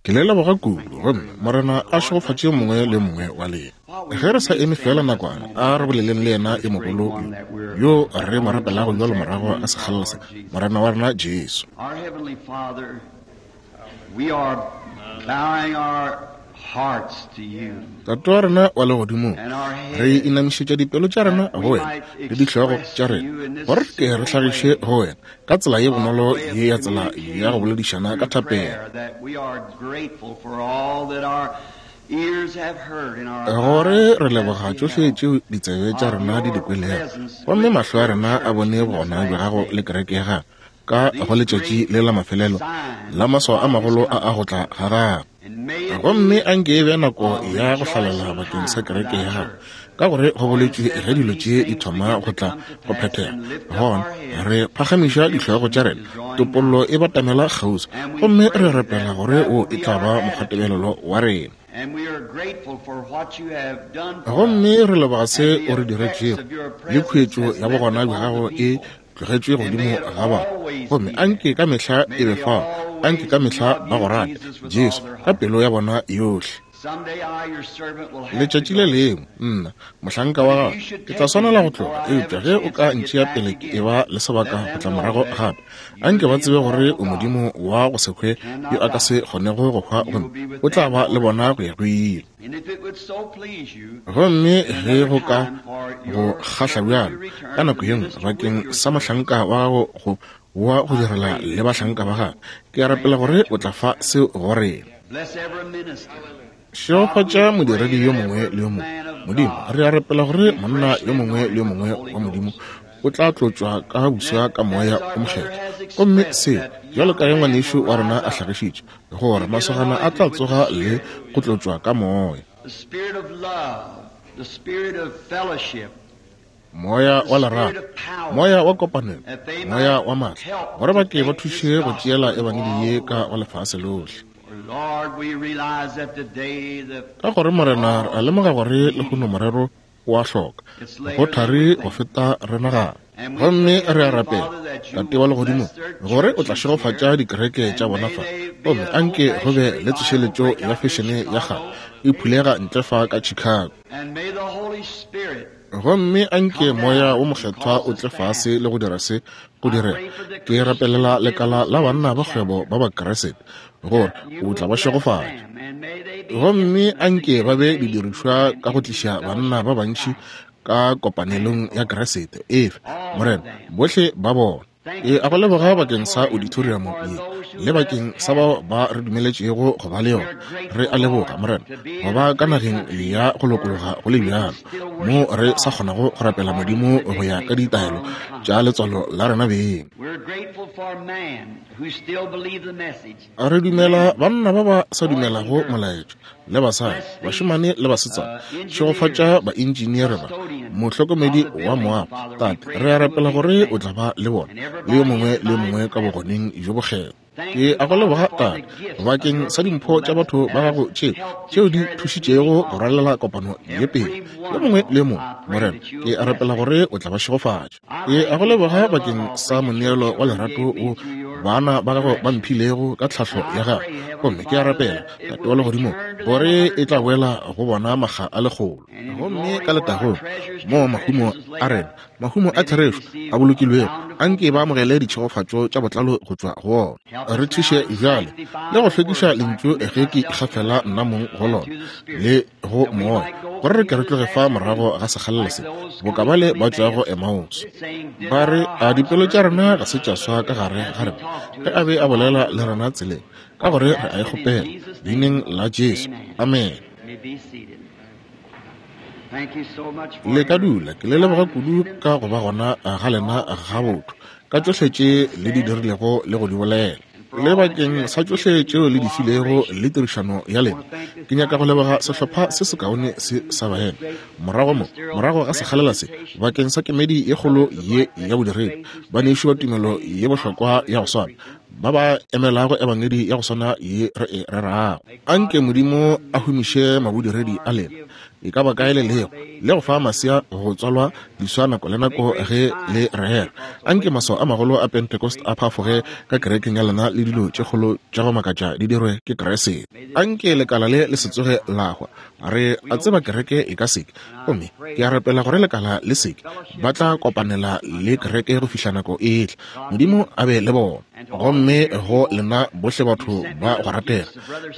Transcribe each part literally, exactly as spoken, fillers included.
Ke le leboga kudu, gomme Morena a šegofatše mongwe le mongwe wa lena. Ge re sa eme fela nakwana, a re boleleng le yena e mogolo yo, yo re mo rapelago bjalo morago ga sekgalela se, Morena wa rena Jesu. Our Heavenly Father, we are bowing our hearts to you. Tate wa rena wa legodimong, And our re heads inamišetša dipelo tša rena go wena le dihlogo tša rena, gore ke re hlagiše go wena ka tsela ye bonolo ye ya tsela ya go boledišana ka thapelo. That we are grateful for all that our ears have heard and our Gore eyes re have leboga tšohle beheld. tšeo ditsebe tša rena di di kwelego, gomme mahlo a rena a bone bogona bja gago le kereke ya gago ka go letšatši le la mafelelo la maswao a magolo a a go tla ga gago. And may it Gomme be anke e be nako ya go hlalela bakeng sa kereke ya gago, ka gore go boletšwe ge dilo tše di thoma go tla go phethega, gona re phagamiša dihlogo tša rena, topollo e batamela kgauswi, gomme re rapela gore o e tla ba mokgwatebelelo wa rena. And we are grateful for what you have done for Gomme us. re leboga se o re diretšego, le khuetšo ya bogona bja gago e tlogetšwe godimo ga batho. Gomme anke ka mehla e be fao, anke ka mehla ba go rate, Jesu, ka pelo ya bona yohle. Someday I, your servant, will have to Letšatši le go. lengwe, nna, mohlanka wa gago, ke tla swanela go tloga, eupša ge o ka ntšea pele ke eba le sebaka go tla morago gape, anke ba tsebe gore o Modimo wa go se hwe yo a ka se kgonego go hwa, gomme o tla ba le bona go ya go ile. And if it would so please you, Gomme ge go ka go kgahla bjalo, ka nako ye nngwe bakeng sa mohlanka wa gago go wa go direla le bahlanka ba gagwe, ke a rapela gore o tla fa seo go rena. bless every minister. Šegofatša modiredi yo mongwe le yo mongwe. Modimo, re a rapela gore monna yo mongwe le yo mongwe wa Modimo o tla tlotšwa ka buswa ka moya o mokgethwa. Gomme seo, bjalo ka ge ngwanešu wa rena a hlagišitše, gore masogana a tla tsoga le go tlotšwa ka moya. The spirit of love, the spirit of fellowship, Moya wa lerato, moya wa kopanelo, moya wa maatla, gore ba ke ba thuše go tšeela ebangedi ye ka go lefase lohle. Lord, we realize that today the Ka gore Morena, re a lemoga gore lehono morero o a hloka go thari go feta re nagana. Gomme re a rapela, Tate wa legodimo, gore o tla šegofatša dikereke tša bona fa, gomme anke go be le tsošeletšo ya fešene ya kgale e phulega ntle fa ka Chicago. and may the Holy Spirit Gomme anke moya wo mokgethwa o tle fase le go dira se go direga. Ke rapelela lekala la banna ba kgwebo ba Bakeresete, gore o tla ba šegofatša. and may they be Gomme anke ba be didirišwa ka go tliša banna ba bantši ka kopanelong ya Keresete. Efe, Morena, bohle ba bona. Ke a go leboga bakeng sa auditorium ye le bakeng sa bao ba re dumeletšego go ba le yona. Re a leboga, Morena, go ba ka nageng ya go lokologa go le bjalo, mo re sa kgonago go rapela Modimo go ya ka ditaelo tša letswalo la rena beng. We're grateful for man who still believe the message. Re dumela banna ba ba sa dumelago molaetša, le basadi, bašemane le basetsana. Šegofatša baentšineere ba, mohlokomedi wa moago. Tate, re a rapela gore o tla ba le bona, le yo mongwe le yo mongwe ka bogoneng bjo bokgethwa. Ke a go leboga, Tate, bakeng sa dimpho tša batho ba gago tšeo tšeo di thušitšego go rwalela kopano ye pele. Yo mongwe le yo mongwe, Morena, ke a rapela gore o tla ba šegofatša. Ke a go leboga bakeng sa moneelo wa lerato wo bana ba gago ba mphilego ka tlhahlo ya gago. Gomme ke a rapela, Tate wa legodimo, gore e tla boela go bona makga a lekgolo. Gomme ka letagong, mo mahumo a rena, mahumo a therešo a bolokilwego, anke ba amogele ditšhegofatšo tša botlalo go tšwa go ona. Re thuše bjale le go hlwekiša lentšu ge ke ikgafela nna mong go lona le go moya, gore re ke re tloge fa morago ga sekgalela se, boka bale ba tšwago Emmaus. Ba re, a dipelo tša rena ga se tša swa ka gare ga rena ge a be a bolela le rena tseleng, ka gore re a e kgopela leineng la Jesu. Amen. May be seated. Thank you so much for Le ka your dula, ke le leboga kudu ka go ba gona ga lena ga botho, ka tšohle tše le di dirilego le go di bolela, le bakeng sa tšohle tšeo le di filego le tirišano ya lena. Ke nyaka go leboga sehlopha se sekaone se sa baena morago mo, morago ga sekgalela se, bakeng sa kemedi ye kgolo ye ya bodiredi, banešu ba tumelo ye bohlokwa ya go swana, ba ba emelago ebangedi ya go swana ye re e rerago. Anke Modimo a humiše mabodiredi a lena e ka ba kae le lego, le go fa masea go tswalwa diswa nako le nako ge le rera. Anke maswao a magolo a Pentecost a phafoge ka kerekeng ya lena le dilo tše kgolo tša go makatša di dirwe ke Kriste. Anke lekala le le se tsoge la hwa. Re a tseba kereke e ka seke, gomme ke a rapela gore lekala le seke ba tla kopanela le kereke go fihla nako e tla. Modimo a be le bona. Gomme go lena bohle batho ba go ratega,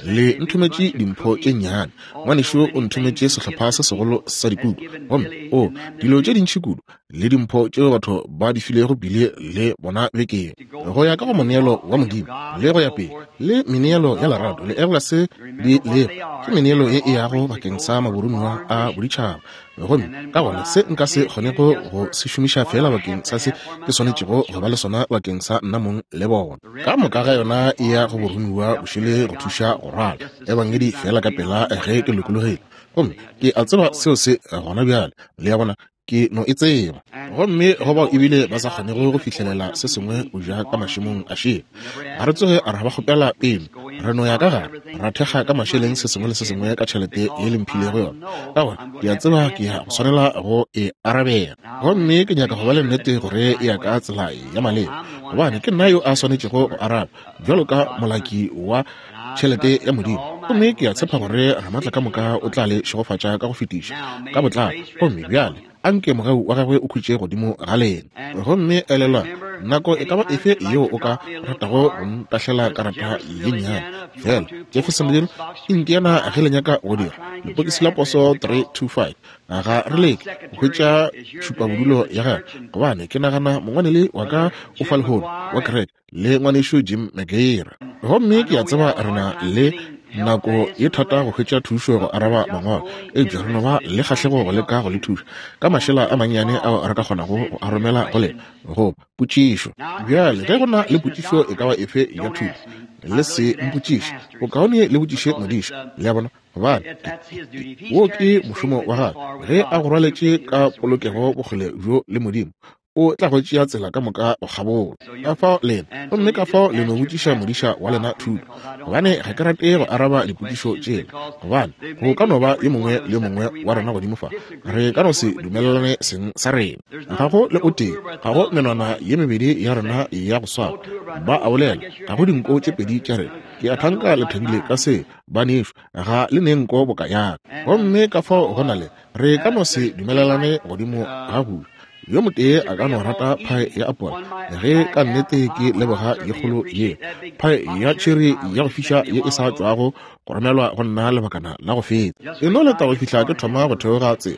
le nthometše dimpho tše nnyane. Ngwanešu o nthometše sehlopha se segolo sa dikuku, gomme o dilo tše dintši kudu le dimpho tšeo batho ba di filego bile le bona bekeng, go ya ka go moneelo wa Modimo le go ya pele, le meneelo ya lerato le ebola se di lego ke meneelo e e yago bakeng sa maborumiwa a boditšhaba. Gomme ka gona se nka se kgonego go se šomiša fela bakeng sa se ke swanetšego go ba le sona bakeng sa nna mong le bona. Ka moka ga yona e ya go borumiwa bošele go thuša go rwala ebangedi fela ka pela ge ke lokologile. Gomme ke a tseba seo se gona bjale, le ya bona, ke no e tseba. Gomme go bao ebile ba sa kgonego go fihlelela se sengwe go ja ka mašemong a šele, ga re tsoge ra ba kgopela pele, re no ya ka gare ra thekga ka mašeleng se sengwe le se sengwe ka tšhelete ye le mphilego yona, ka gore ke a tseba ke ya go swanela go e arabela. Gomme ke nyaka go ba le nnete gore e ya ka tsela ya maleba, gobane ke nna yo a swanetšego go araba bjalo ka molaki wa tšhelete ya Modimo. Gomme ke a tshepa gore Ramatla ka moka o tla le šegofatša ka go fetiša ka botlalo. Gomme bjale anke mogau wa gagwe o khutše godimo ga lena. Gomme elelwa, nako e ka ba efe yeo o ka ratago go ntahlela karata ye nnyane fela Jeffersonville, Indiana, ge le nyaka go dira lepokisi la poso three two five, ga re leke go hwetša tšhupabodulo ya gagwe, gobane ke nagana mongwaneli wa ka o fa lehono wa kereke le ngwanešu Jim McGear. Gomme ke a tseba re na le nako ye thata go hwetša thušo go araba mangwalo, eupša re no ba le kgahlego go leka go le thuša ka mašela a mannyane ao re ka kgonago go a romela go lena go potšišo. Bjale ge go na le potšišo e ka ba efe ya thuto, le se mpotšiše, bokaone le botšiše modiša, le a bona, gobane wo ke mošomo wa gagwe. Ge a go rwaletše ka polokego bokgole bjo le Modimo, o tla go tšea tsela ka moka go kgabola. Ka fao lena, gomme ka fao le no botšiša modiša wa lena thuto, gobane ga ke rate go araba dipotšišo tšela, gobane go ka no ba yo mongwe le yo mongwe wa rena godimo fa re ka no se dumelelane seng sa rena. Ga go le o tee, ga go menwana ye mebedi ya rena ya go swana, ba a bolela, ga go dinko tše pedi tša rena. Ke a thanka le thabile ka se, banešu, ga le ne nko boka yaka. Gomme ka fao go na le re ka no se dumelelane godimo ga kudu. Yo motee a ka no rata phae ya apola, ge ka nnete ke leboga ye kgolo ye phae ya tšheri ya go fiša ye e sa tšwago go romelwa go nna lebakana la go feta. E no leta go fihla ke thoma go theoga tsela,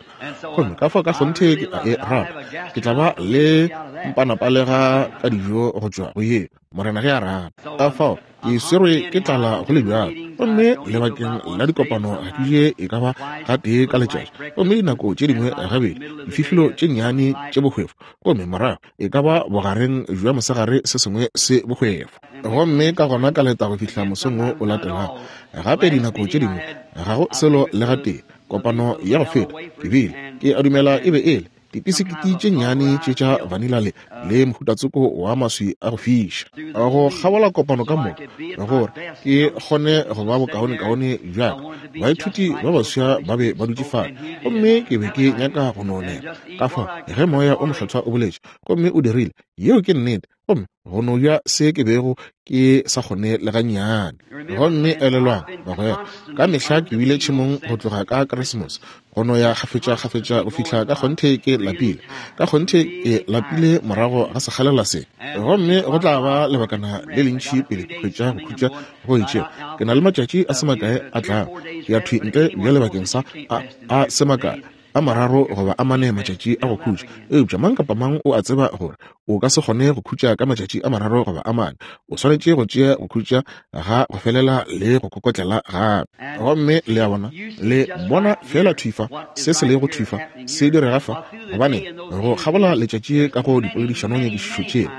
gomme ka fao ka kgonthe ke a e rata. Ke tla ba le mpanapalega ka dijo go tšwa go ye, Morena ge a rata. Ka fao ke swerwe ke tlala go le bjalo, gomme lebakeng la dikopano ga ke je e ka ba gatee ka letšatši, gomme dinako tše dingwe gabedi dififilo tše nnyane tše bohwefo, gomme morago e ka ba bogareng bja mosegare se sengwe se bohwefo. Gomme ka gona ka leta go fihla mosong wo o latelago. Gape dinako tše dingwe ga go selo le gatee. Kopano ya go feta ke bile ke a dumela e be e le dipisikiti tše nnyane tše tša vanilla le le mohutatsoko wa maswi a go fiša. Go kgabola kopano ka moka gore ke kgone go ba bokaonekaone bjaka. Baithuti ba baswa ba be ba dutše fale, gomme ke be ke nyaka go no nela. Ka fao ge moya o mokgethwa o boletše, gomme o dirile, yeo ke nnete, gomme go no ja se ke bego ke sa kgone le gannyane. Gomme elelwang bagwera, ka mehla ke bile tšhemong go tloga ka Keresemose go no ya kgafetša-kgafetša go fihla ka kgonthe ke lapile, ka kgonthe ke lapile morago ga sekgalela se. Gomme go tla ba lebakana le lentši pele ke hwetša go khutša go itšego. Ke na le matšatši a se makae a tlago, ke ya thwi ntle bjale bakeng sa a, a se makae a mararo goba a mane matšatši a go khutša. Eupša mang kapa mang o a tseba gore o ka se kgone go khutša ka matšatši a mararo goba a mane. O swanetše go tšea go khutša ga go felela le go kokotlela gape. Gomme le a bona, le bona fela thwi fa se se lego thwi fa se direga fa, gobane go kgabola letšatši ka go dipoledišano nyakišišo tšela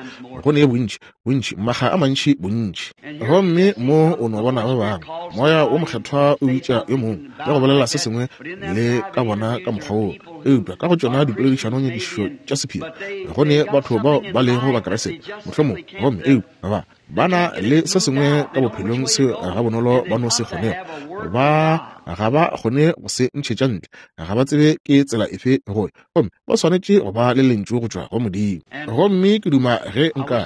go ne bontši bontši makga a mantši bontši. Gomme mo o no bona ba bangwe, moya o mokgethwa o bitša yo mongwe le go bolela se sengwe le ka bona ka mokgwa woo. Eupša ka go tšona dipoledišano nyakišišo tša sephiri go ne batho bao ba lego Bakriste mohlomong, gomme eupša ba Ba na le se sengwe ka bophelong seo gabonolo ba no se kgonego. Ba ga ba kgone go se ntšhetša ntle, ga ba tsebe ke tsela efe go ya, gomme ba swanetše go ba le lentšu go tšwa go Modimo. Gomme ke duma ge nka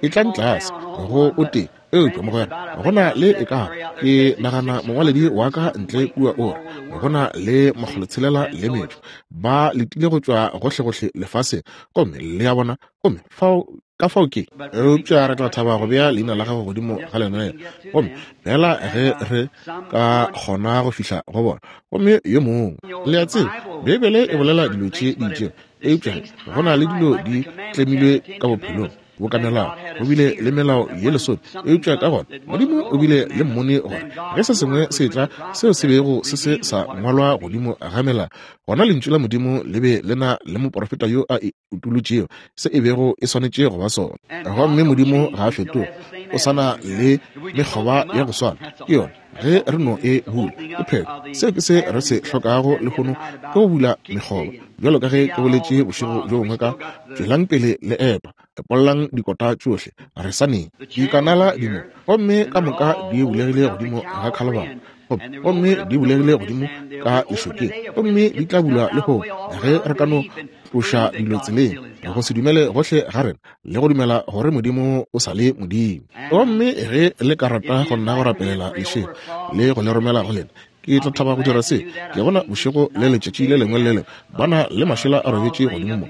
e tla tlase go o tee, eupša mogwera, go na le e ka ke nagana mongwaledi wa ka ntle kua o re go na le makgolotshelela le metšo ba letile go tšwa gohlegohle lefaseng, gomme le a bona, gomme fao ka fao ke eupša re tla thaba go bea leina la gago godimo ga lenaneo, gomme fela ge re ka kgona go fihla go bona. Gomme yo mongwe, le a tseba, Beibele e bolela dilo tše di itšego, eupša go na le dilo di tlemilwe ka bophelong boka melao. Go bile le melao ye lesome, eupša ka gona Modimo o bile le mmone gore ge se sengwe se tla seo se bego se se sa ngwalwa godimo ga melao, gona lentšu la Modimo le be le na le moprofeta yo a e utolotšego se e bego e swanetše go ba sona. Gomme Modimo ga a fetoge, o sana le mekgoba ya go swana. Ke yona ge re no e bula, ke phetho. Seo ke se re se hlokago lehono, ke go bula mekgoba. Bjalo ka ge ke boletše bošego bjo bongwe ka tšwelang pele le epa, epollang dikota tšohle, re sa neng dikanala di mo, gomme ka moka di bulegile godimo ga Khalibari, gomme di bulegile godimo ka lešokeng, gomme di tla bulwa lehono ge re ka no tloša dilo tseleng, go se dumele gohle ga rena le go dumela gore Modimo o sa le Modimo. Gomme ge le ka rata go nna go rapelela lešego le go le romela go lena, ke tla thaba go dira se. Ke bona bošego le letšatši le lengwe le lengwe ba na le mašela a robetše godimo mo,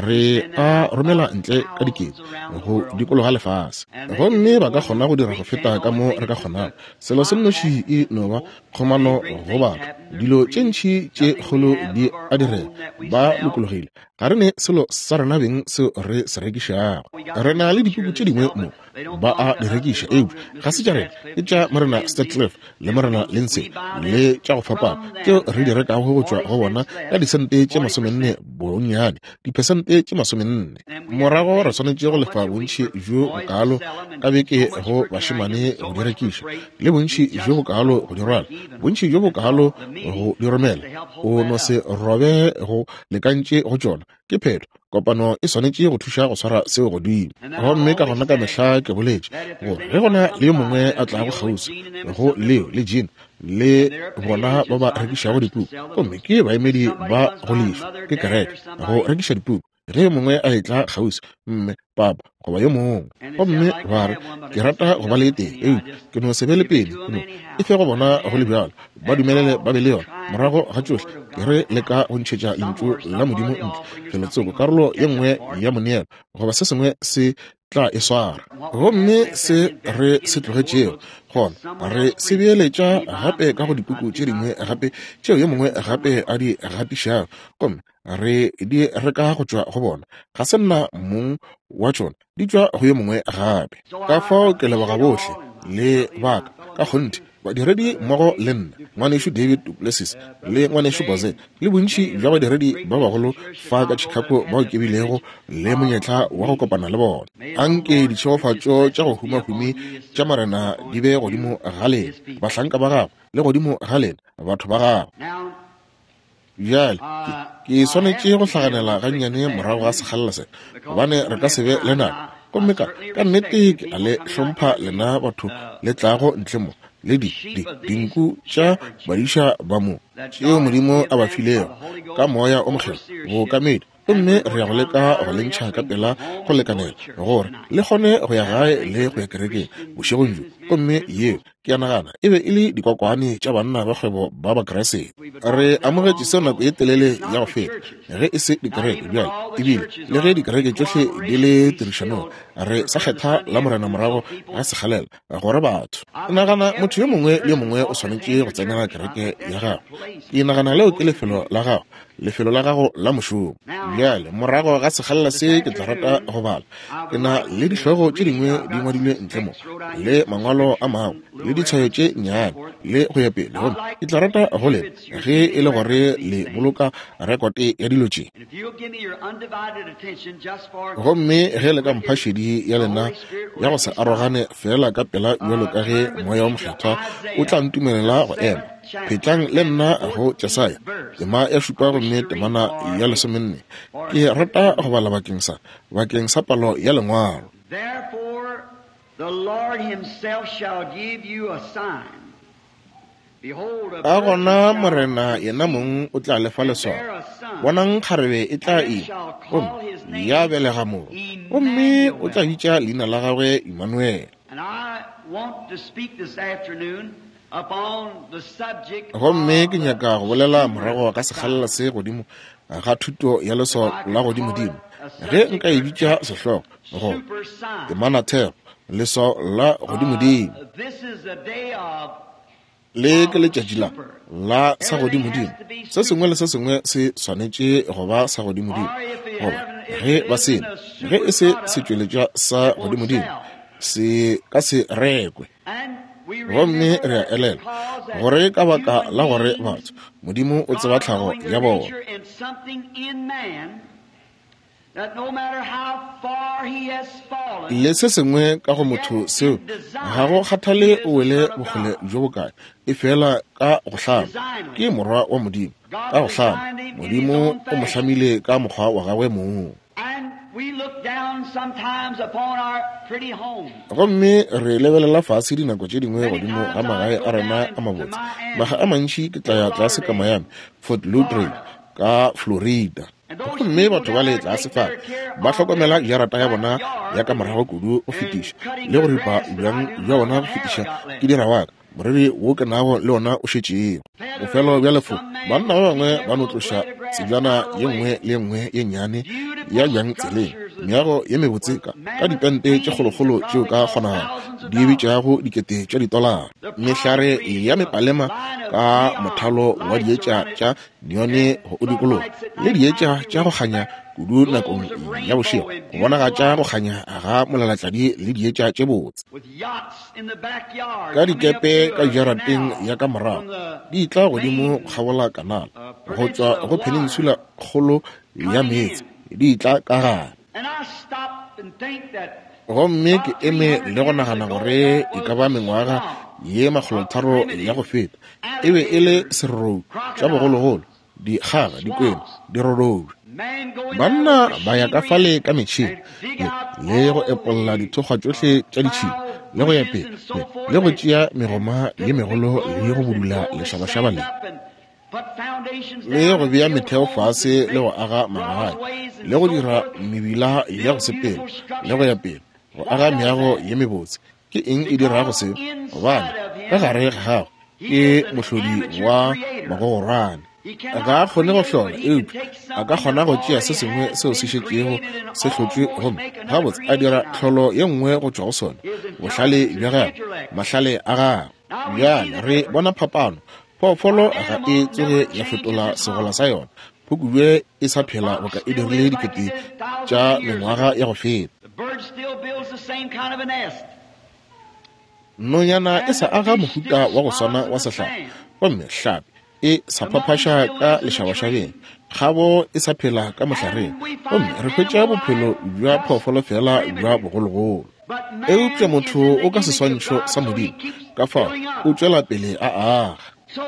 re a romela ntle ka dikete go dikologa lefase, gomme ba ka kgona go dira go feta ka mo re ka kgonago. Selo se nnoši e no ba kgomano go batho. Dilo tše ntši tše kgolo di a direga, ba lokologile. Ga re ne selo sa rena beng seo re se rekišago. Re na le dipuku tše dingwe mo ba a di rekiša, eupša ga se tša rena, ke tša Morena Statcliffe le Morena Lindsay le tša go fapana tšeo re di rekago go tšwa go bona ka disente tše masomenne bonnyane, diphesente tše masomenne. Morago re swanetše go lefa bontši bjo bokalo ka beke go bašemane go di rekiša, le bontši bjo bokalo go di rwala, bontši bjo bokalo go di romela. O no se robe go lekantše go tšona. Ke phetho. Kopano e swanetše go thuša go swara seo godimo. Gomme ka gona ka mehla ke boletše gore ge gona le yo mongwe a tlago kgauswi go Leo le Jean le bona ba ba rekišago dipuku, gomme ke baemedi ba go lefa ke kereke go rekiša dipuku, ge yo mongwe a etla kgauswi, mme, papa goba yo mongwe, gomme ba re ke rata go ba le tee, eupša ke no se be le pele, ke no e fe go bona go le bjalo, ba dumelele ba be le yona. Morago ga tšohle ke re leka go ntšhetša lentšu la Modimo ntle felotsoko, karolo ye nngwe ya moneelo goba se sengwe se tla e swara. Gomme se re se tlogetšego gona re se beeletša gape ka go dipuku tše dingwe gape tšeo yo mongwe gape a di gatišago, gomme re di reka go tšwa go bona. Ga se nna mong wa tšona, di tšwa go yo mongwe gape. Ka fao ke leboga bohle le baka ka kgonthe badiredi mmogo le nna, ngwanešu David Duplessis le ngwanešu Boze, le bontši bja badiredi ba bagolo fa ka Chicago bao ke bilego le monyetla wa go kopana le bona. Anke ditšhegofatšo tša go humahumi tša Morena di be godimo ga lena, bahlanka ba gagwe, le godimo ga lena, batho ba gagwe. Bjale ke swanetše go hlaganela gannyane morago ga sekgalela se, gobane re ka se be le nako. Gomme ka ka nnete ke a le hlompha lena batho le tlago ntle mo, le di di dinku tša badiša ba mo tšeo Modimo a ba filego ka moya o mokgethwa bookamedi, gomme re ya go leka go le ntšha ka pela go lekanela gore le kgone go ya gae le go ya kerekeng bošegong bjo. Gomme yeo ke a nagana e be e le dikokwane tša banna ba kgwebo ba Bakreste. Re amogetše seo nako ye telele ya go feta, ge e se dikereke bjale, ebile le ge dikereke tšohle di le tirišanong, re sa kgetha la Morena morago ga sekgalela gore batho. Ke nagana motho yo mongwe le yo mongwe o swanetše go tsenela kereke ya gago. Ke nagana leo ke lefelo la gago, lefelo la gago la mošomo. Bjale morago ga sekgalela se ke tla rata go bala. Ke na le dihlogo tše dingwe di ngwadilwe ntle mo, le mangwalo a mangwe le ditshwayo tše nnyane le go ya pele, gomme ke tla rata go lena ge e le gore le boloka rekote ya dilo tše. Gomme ge le ka mpha šedi ya lena ya go se arogane fela ka pela bjalo ka ge moya wa mokgethwa o tla ntumelela go ema, phetlang le nna go Jesaya tema ya šupa gomme temana ya lesomenne. Ke rata go bala bakeng sa bakeng sa palo ya lengwalo. The Lord himself shall give you a sign. Behold, a Ka virgin gona shall Morena yena mong o tla lefa leswao. bear a son, Bonang kgarebe e tla ima, gomme ya belega morwa, gomme o tla bitša leina la gagwe Emmanuel. And I want to speak this afternoon upon the subject Gomme ke of nyaka go bolela morago ka sekgalela se godimo ga thuto ya leswao la godimodimo. Ge nka e bitša sehlogo go super sign. temanathero, leswao la godimodimo. Uh, this is a day of Le ke letšatši la la sa godimodimo. Se sengwe le se sengwe se swanetše go ba sa godimodimo, goba ge ba se ge e se setšweletšwa sa godimodimo, se ka se rekwe. and we Gomme remember re a that elela because that gore ka baka la human gore beings, batho Modimo o tseba God tlhago knowing their ya bona. nature and something in man, that no matter how far he has fallen, Le se sengwe ka go motho seo ga go kgathale o wele bokgole bjo bokae, e fela ka go hlama ke morwa wa Modimo. Ka go hlama Modimo o mo hlamile ka mokgwa wa gagwe mong. and we look down sometimes upon our pretty home. Gomme re lebelela fase dinako tše dingwe godimo ga magae a rena a mabotse. Maga a mantši ke tla ya tlase ka Miami, Fort Lauderdale ka Florida. Gomme batho ba le tlase fale ba hlokomela jarata ya bona ya ka morago kudu go fetiša le go ripa bjang bja bona go fetiša ke dira wa ka moriri wo ke nago le ona o šetšego. Bofelo bja lefoko, banna ba bangwe ba no tloša tsebjana ye nngwe le ye nngwe ye nnyane ya bjang tseleng, meago ye mebotse ka, ka dipente tše kgolokgolo tšeo ka kgonagalo di bitšago dikete tša ditolara, mehlare ya mepalema ka mothalo wa dietša tša neone go o dikologa, le dietša tša go kganya kudu nakong ya bošego go bonagatša go kganya ga molalatladi le dietša tše botse. With yachts in the backyard Ka coming up dikepe to ka a jarateng canal ya ka morago from the di tla godimo main kgabola kanala go tšwa go peninsula kgolo ya meetse di tla ka gare. And I stop and think that Gomme ke eme le go nagana gore e ka ba mengwaga ye makgolotharo ya go feta e be e le serorou tša bogologolo, dikgaga, dikwena, dirorobi. man going Banna there with ba ya ka machinery fale ka metšhene and dig le out le go all epolla the dithokgwa tšohle tša ditšhila foul le go ya bushes pele and so le, forth le go and tšea megoma ye put big megolo le go blowers and budula blow the lešabašaba sand le up and put foundations le down go and bea build metheo homes fase and le go make aga magae broadways and le go so dira forth, mebila ya go build sepela beautiful le go ya structures. pele go What aga does meago that? ye mebotse. Ke eng e dirago Because se? Gobane inside of ka him, gare ga gagwe he ke is an mohlodi amateur wa creator. magogorwane. He Ga cannot a kgone go create, hlola, but he can eupša take a ka something that kgona go tšea se already sengwe has seo se been šetšego created and se hlotšwe almost gomme make another gabotse a dira creation out of it. tlholo ye nngwe go tšwa go sona, His bohlale intelligence, bja his gagwe, intellect. mahlale a gagwe. Now we see Bjale the re difference. bona phapano. Phoofolo An ga e animal tsoge never ya changes fetola its segola home. sa yona. Phukubje e sa The phela fox boka e still dirile lives like it dikete did thousands tša of years mengwaga ago. ya go feta. The bird still builds the same kind of a nest. Nonyana e And sa the aga fish mohuta still wa go spawns swana in wa the sehlare, sand. gomme hlapi e sa The monkey phaphaša still ka lives in the tree. lešabašabeng, kgabo e sa phela ka mohlareng, And we gomme find re hwetša animal bophelo life bja just phoofolo fela bja primitive. bogologolo. But Eupša man is motho in the o ka image of seswantšho God, sa so he Modimo, keeps ka fao building up. o tšwela pele a aga. So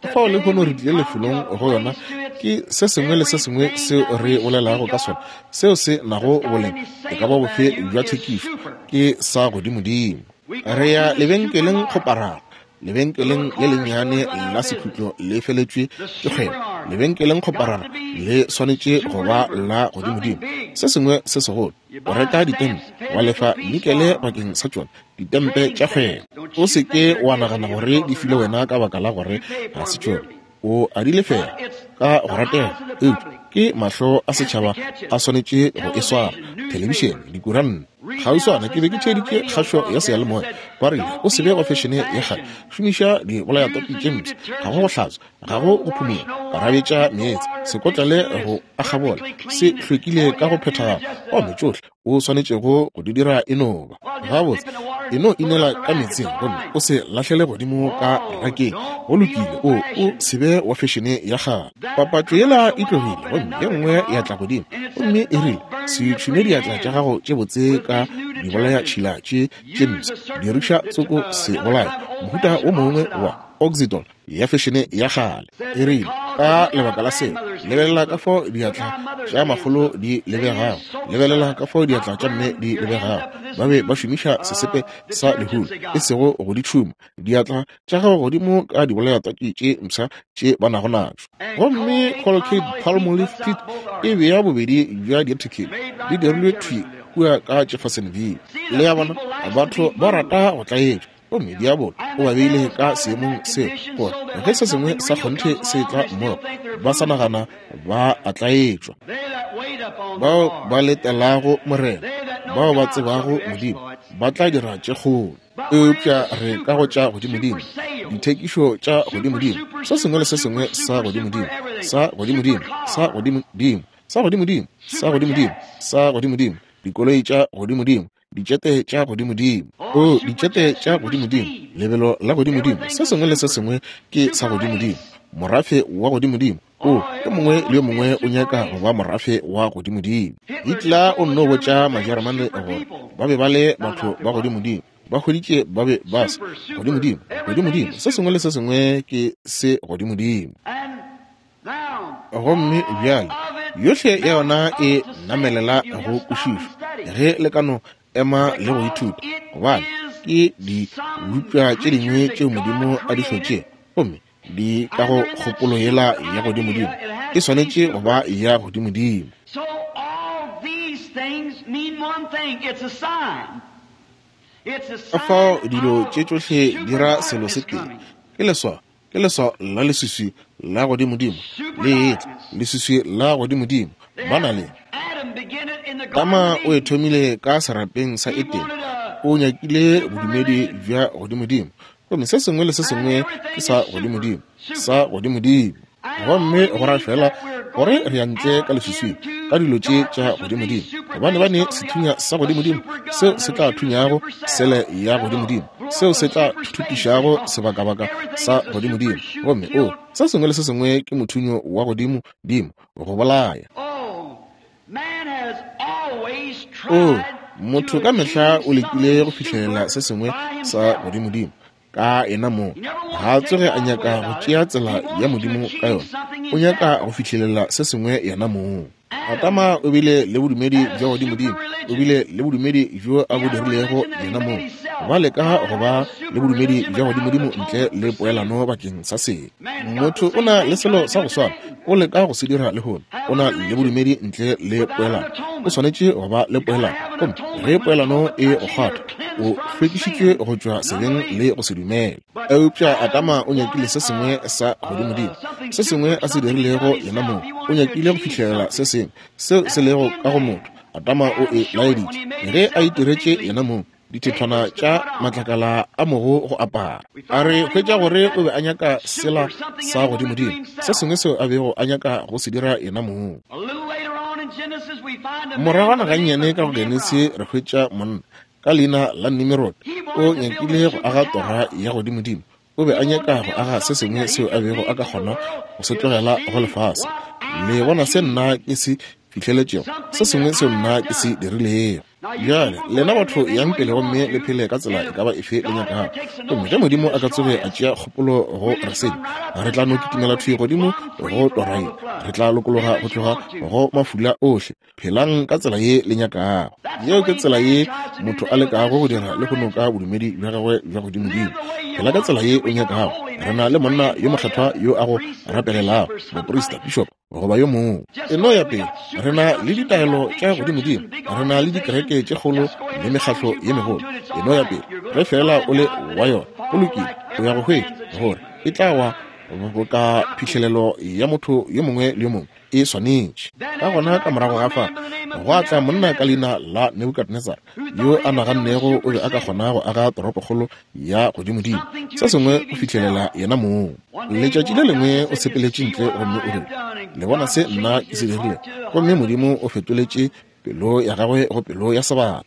Ka fao today lehono re we've tlile come to lefelong a go yona place to it's ke se sengwe le se sengwe everything seo that re we bolelago speak ka of sona seo se nago that's got boleng any e ka ba sale bofe value bja is thekišo super. ke sa godimodimo. We go Re ya to the lebenkeleng supermarket, kgoparara, the lebenkeleng little le corner lennyane stores went out la of business. sekhutlo le feletšwe The ke kgwebo. supermarket Lebenkeleng got kgoparara to be le swanetše go super ba duper, la something godimodimo, big. se sengwe se segolo. You O buy reka stamps ditempe and pay wa a nickel lefa apiece nikele for 'em. bakeng sa tšona, ditempe Trading tša stamps. kgwebo. Don't O you se think ke they're wa giving nagana you gore because di they're filwe not. wena ka baka la gore You pay ga for se 'em tšona. dearly. O a di But lefela it's ka go the ratega, eyes of the eupša public ke mahlo a has to setšhaba catch a it. swanetše go e swara. Television, Thelebišene, newspapers. dikuranta. Read now, Kgauswana ke be ke listen to a theeditše radio kgašo ya broadcast that seyalemoya. said, Ba rile o don't se be be go fešene ya kgale, old-fashioned. šomiša Use dibolayatopi the tše new mpsha, ga go go detergent. hlatswa, ga go No go wash, phumula, no karabetša wipe, no meetse, water. se Dish kotlele soon go is akgabola, perfectly se clean. And hlwekile all ka you go have to do is phethagala. just, Gomme uh, tšohle o swanetšego go di dira e no ba well, just gabotse dip in the water e and no throw it inela in the ka rack. It's meetseng all gomme right. o se lahlele godimo ka Oh, rakeng. Go don't be lokile, o o old-fashioned. se be wa fešene ya kgale. That Papatšo yela commercial e went tlogile off and gomme ye another nngwe come ya on, tla godimo and it gomme said, e rile don't burn se your tšhume pretty diatla tša hands gago tše botse with ka this new detergent. dibolayatšhila tše tše Use mpsha, a certain diriša det- tsoko uh, se another bolaya kind of mohuta wo old-fashioned mongwe wa oxidol. oxidol ya fešene ya kgale. Said E rile because ka look how lebaka la seo grandmother's hands lebelela ka look. fao Look diatla how mother's tša makgolo di lebegago, lebelela ka fao diatla tša mme di lebegago. Ba be ba šomiša sesepe sa lehulu, e sego go di tšhuma, diatla tša gago godimo ka dibolayatwatši tše mpsha tše ba nago natšo. Gomme Colgate Palmolive Peet e bea bobedi bja diathekele di dirilwe thwi kua ka Jeffersonville. Le ya bona, batho ba rata go tlaetšwa, gomme diabolo o ba beile ka seemong seo gore ge se sengwe sa kgonthe se tla mmogo, ba sa nagana ba a tlaetšwa. Bao ba letelago Morena, bao ba tsebago Modimo, ba tla dira tše kgolo. Eupša re ka go tša godimodimo, dithekišo tša godimodimo, se sengwe le se sengwe sa godimodimo, sa godimodimo, sa godimodimo, sa godimodimo, sa godimodimo, sa godimodimo, dikoloi tša godimodimo, ditšete tša godimodimo, o ditšete tša godimodimo, lebelo la godimodimo, se sengwe le se sengwe ke sa godimodimo, morafe wa godimodimo. O yo mongwe le yo mongwe o nyaka go ba morafe wa godimodimo. Hitler o nno botša Majeremane gore ba be ba le batho ba godimodimo, ba hweditše ba be ba se godimodimo, godimodimo, se sengwe le se sengwe ke se godimodimo. Gomme bjale yohle ya yona e namelela go kwešišwa ge le ka no ema le go ithuta, gobane ke dibopša tše dingwe tšeo Modimo a di hlotšego, gomme di ka go kgopolo yela ya godimodimo, e swanetše go ba ya godimodimo. So all these things mean one thing, it's a sign. It's a Ka fao sign dilo of tše tšohle di ra selo se tee, coming. ke leswao, ke leswao la leswiswi la godimodimo le etla, leswiswi la godimodimo. Ba na le Adam began it in the Tama Garden o of e Eden. thomile ka serapeng sa Edene, o nyakile bodumedi bja godimodimo, gomme se sengwe le se sengwe ke sa godimodimo, sa godimodimo. Gomme go ra fela gore re ya ntle ka leswiswing ka dilo tše tša godimodimo, gobane ba ne sethunya sa godimodimo seo se tla thunyago sele ya godimodimo, seo se tla thuthupišago sebakabaka sa godimodimo. Gomme o se sengwe le se sengwe ke mothunyo wa godimodimo go bolaya. Oh, man has always O tried motho to ka mehla achieve o lekile go something fihlelela super se sengwe by sa himself. godimodimo ka yena mong. Ga a tsoge a nyaka go tšea tsela ya Modimo ka yona, o nyaka go fihlelela se sengwe yena mong. Adama o bile le bodumedi bja godimodimo, o bile le bodumedi bjo a bo dirilego yena mong. Ba leka go ba le bodumedi bja godimodimo ntle le poelano bakeng sa sebe. Motho o na le selo sa go swana, o leka go se dira lehono, o na le bodumedi ntle le poelano. O swanetše go ba le poelano, gomme ge poelano e go kgwatha, o hlwekišitšwe go tšwa sebeng le go se dumele. Eupša Adama o nyakile se sengwe sa godimodimo, se sengwe a se dirilego yena mong. O nyakile go fihlelela se sengwe seo se lego ka go motho. Adama o e laeditše ge a itiretše yena mong dithethwana tša matlakala a mogo go apara. A re hwetša gore o be a nyaka sela sa godimodimo, se sengwe seo a bego a nyaka go se dira yena mong. A little later on in Genesis, we find a man Moragwana by the name gannyane of ka go Genesi Nimrod. re hwetša monna ka leina la Nimrod, o nyakile go aga tora ya godimodimo. O be a nyaka go aga se sengwe seo a bego a ka kgona go se tlogela go lefase. Le bona se nna ke se fihleletšego, se sengwe seo nna ke se dirilego. Bjale lena batho yang pele gomme le phele ka tsela e ka ba efe le nyakago. Gomme ge Modimo a ka tsoge a tšea kgopolo go re senya, re tla no kitimela thwi godimo go tora ye, re tla lokologa go tloga go mafula ohle. Phelang ka tsela ye le nyakago. Yeo ke tsela ye motho a lekago go dira le go noka bodumedi bja gagwe bja godimodimo. Phela ka tsela ye o nyakago. Re na le monna yo mokgethwa yo a go rapelelago, moprista, bishop goba yo mongwe. E no ya pele, re na le ditaelo tša godimodimo, re na le dikereke tše kgolo le mekgatlo ye megolo. E no ya pele, ge fela o le wa yona, go lokile, o ya go hwetša gore e tla wa boka phihlelelo ya motho yo mongwe le yo mongwe e swanetše. Ka gona ka morago ga fa gwa tla monna ka leina la Nebukadnezar, yo a nagannego o be a ka kgona go aga toropokgolo ya godimodimo, se sengwe go fihlelela yena mong. Letšatši le lengwe o sepeletše ntle gomme o rile, le bona se nna ke se dirilego, gomme Modimo o fetoletše pelo ya gagwe go pelo ya sebata.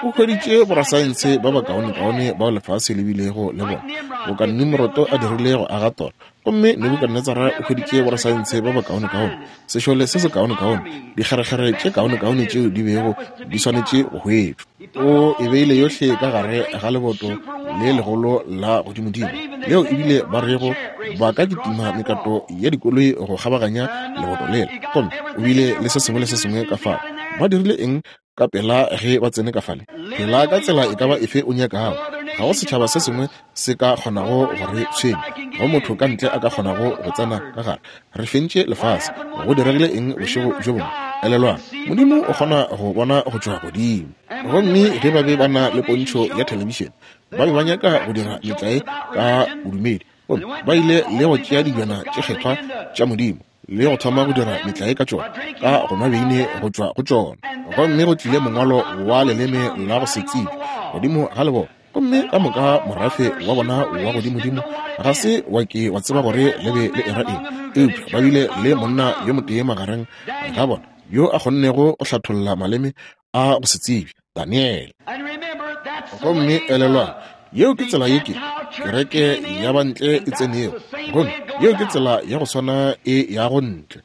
O hweditše borasaense ba bakaonekaone bao lefase le bilego le bona, boka Nimroto a dirile go aga tora. Gomme Nebukadnetsara o hweditše borasaense ba bakaonekaone, sešole se sekaonekaone, dikgerekgere tše kaonekaone tšeo di bego di swanetše go hwetšwa. O e beile yohle ka gare ga leboto le legolo la godimodimo, leo ebile ba rego ba ka kitima mekato ya dikoloi go kgabaganya leboto lela. Gomme o bile le se sengwe le se sengwe ka fao. Ba dirile eng ka pela ge ba tsene ka fale? Phela ka tsela e ka ba efe o nyakago. Ga go setšhaba se sengwe se ka kgonago go re tshwenya, go motho ka ntle a ka kgonago go tsena ka gare. Re fentše lefase. Go diregile eng bošego bjo bongwe? Elelwang, Modimo o kgona go bona go tšwa godimo. Gomme ge ba be ba na le pontšho ya thelebišene, ba be ba nyaka go dira metlae ka bodumedi. Gomme ba ile le go tšea dijwana tše kgethwa tša Modimo le go thoma go dira metlae ka tšona, ka go nwa beine go tšwa go tšona. Gomme go tlile mongwalo wa leleme la go se tsebe godimo ga leboto. Gomme ka moka morafe wa bona wa godimodimo ga se wa ke wa tseba gore le be le era eng, eupša ba bile le monna yo motee magareng ga bona yo a kgonnego go hlatholla maleme a go se tsebe, Daniele. Gomme elelwang, yeo ke tsela ye ke kereke ya bantle e tsenego, gomme yeo ke tsela ya go swana e ya go ntle.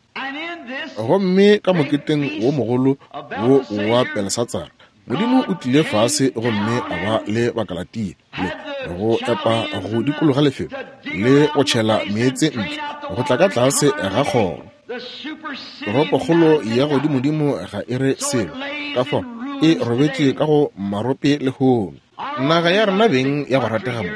Gomme ka moketeng wo mogolo wo wa Belshatsara, Modimo o tlile fase gomme a ba le Bakalatia le go epa go dikologa lefelo le go tšhela meetse ntle go tla ka tlase ga kgoro. Toropokgolo ya godimodimo ga e re selo, ka fao e robetše ka go marope lehono. Naga ya rena beng ya go ratega mo,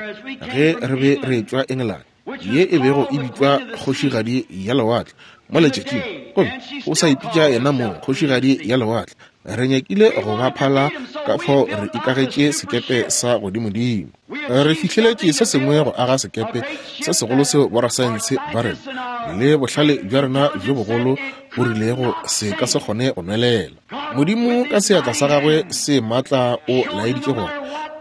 ge re be re tšwa Engelane, ye e bego e bitšwa kgošigadi ya lewatle mo letšatšing, gomme o sa ipitša yena mong kgošigadi ya lewatle. Re nyakile go ba phala ka fao re ikagetše sekepe sa godimodimo. Re fihleletše se sengwe go aga sekepe se segolo seo borasaense ba rena le bohlale bja rena bjo bogolo bo rilego se ka se kgone go nwelela. Modimo ka seatla sa gagwe se maatla o laeditše gore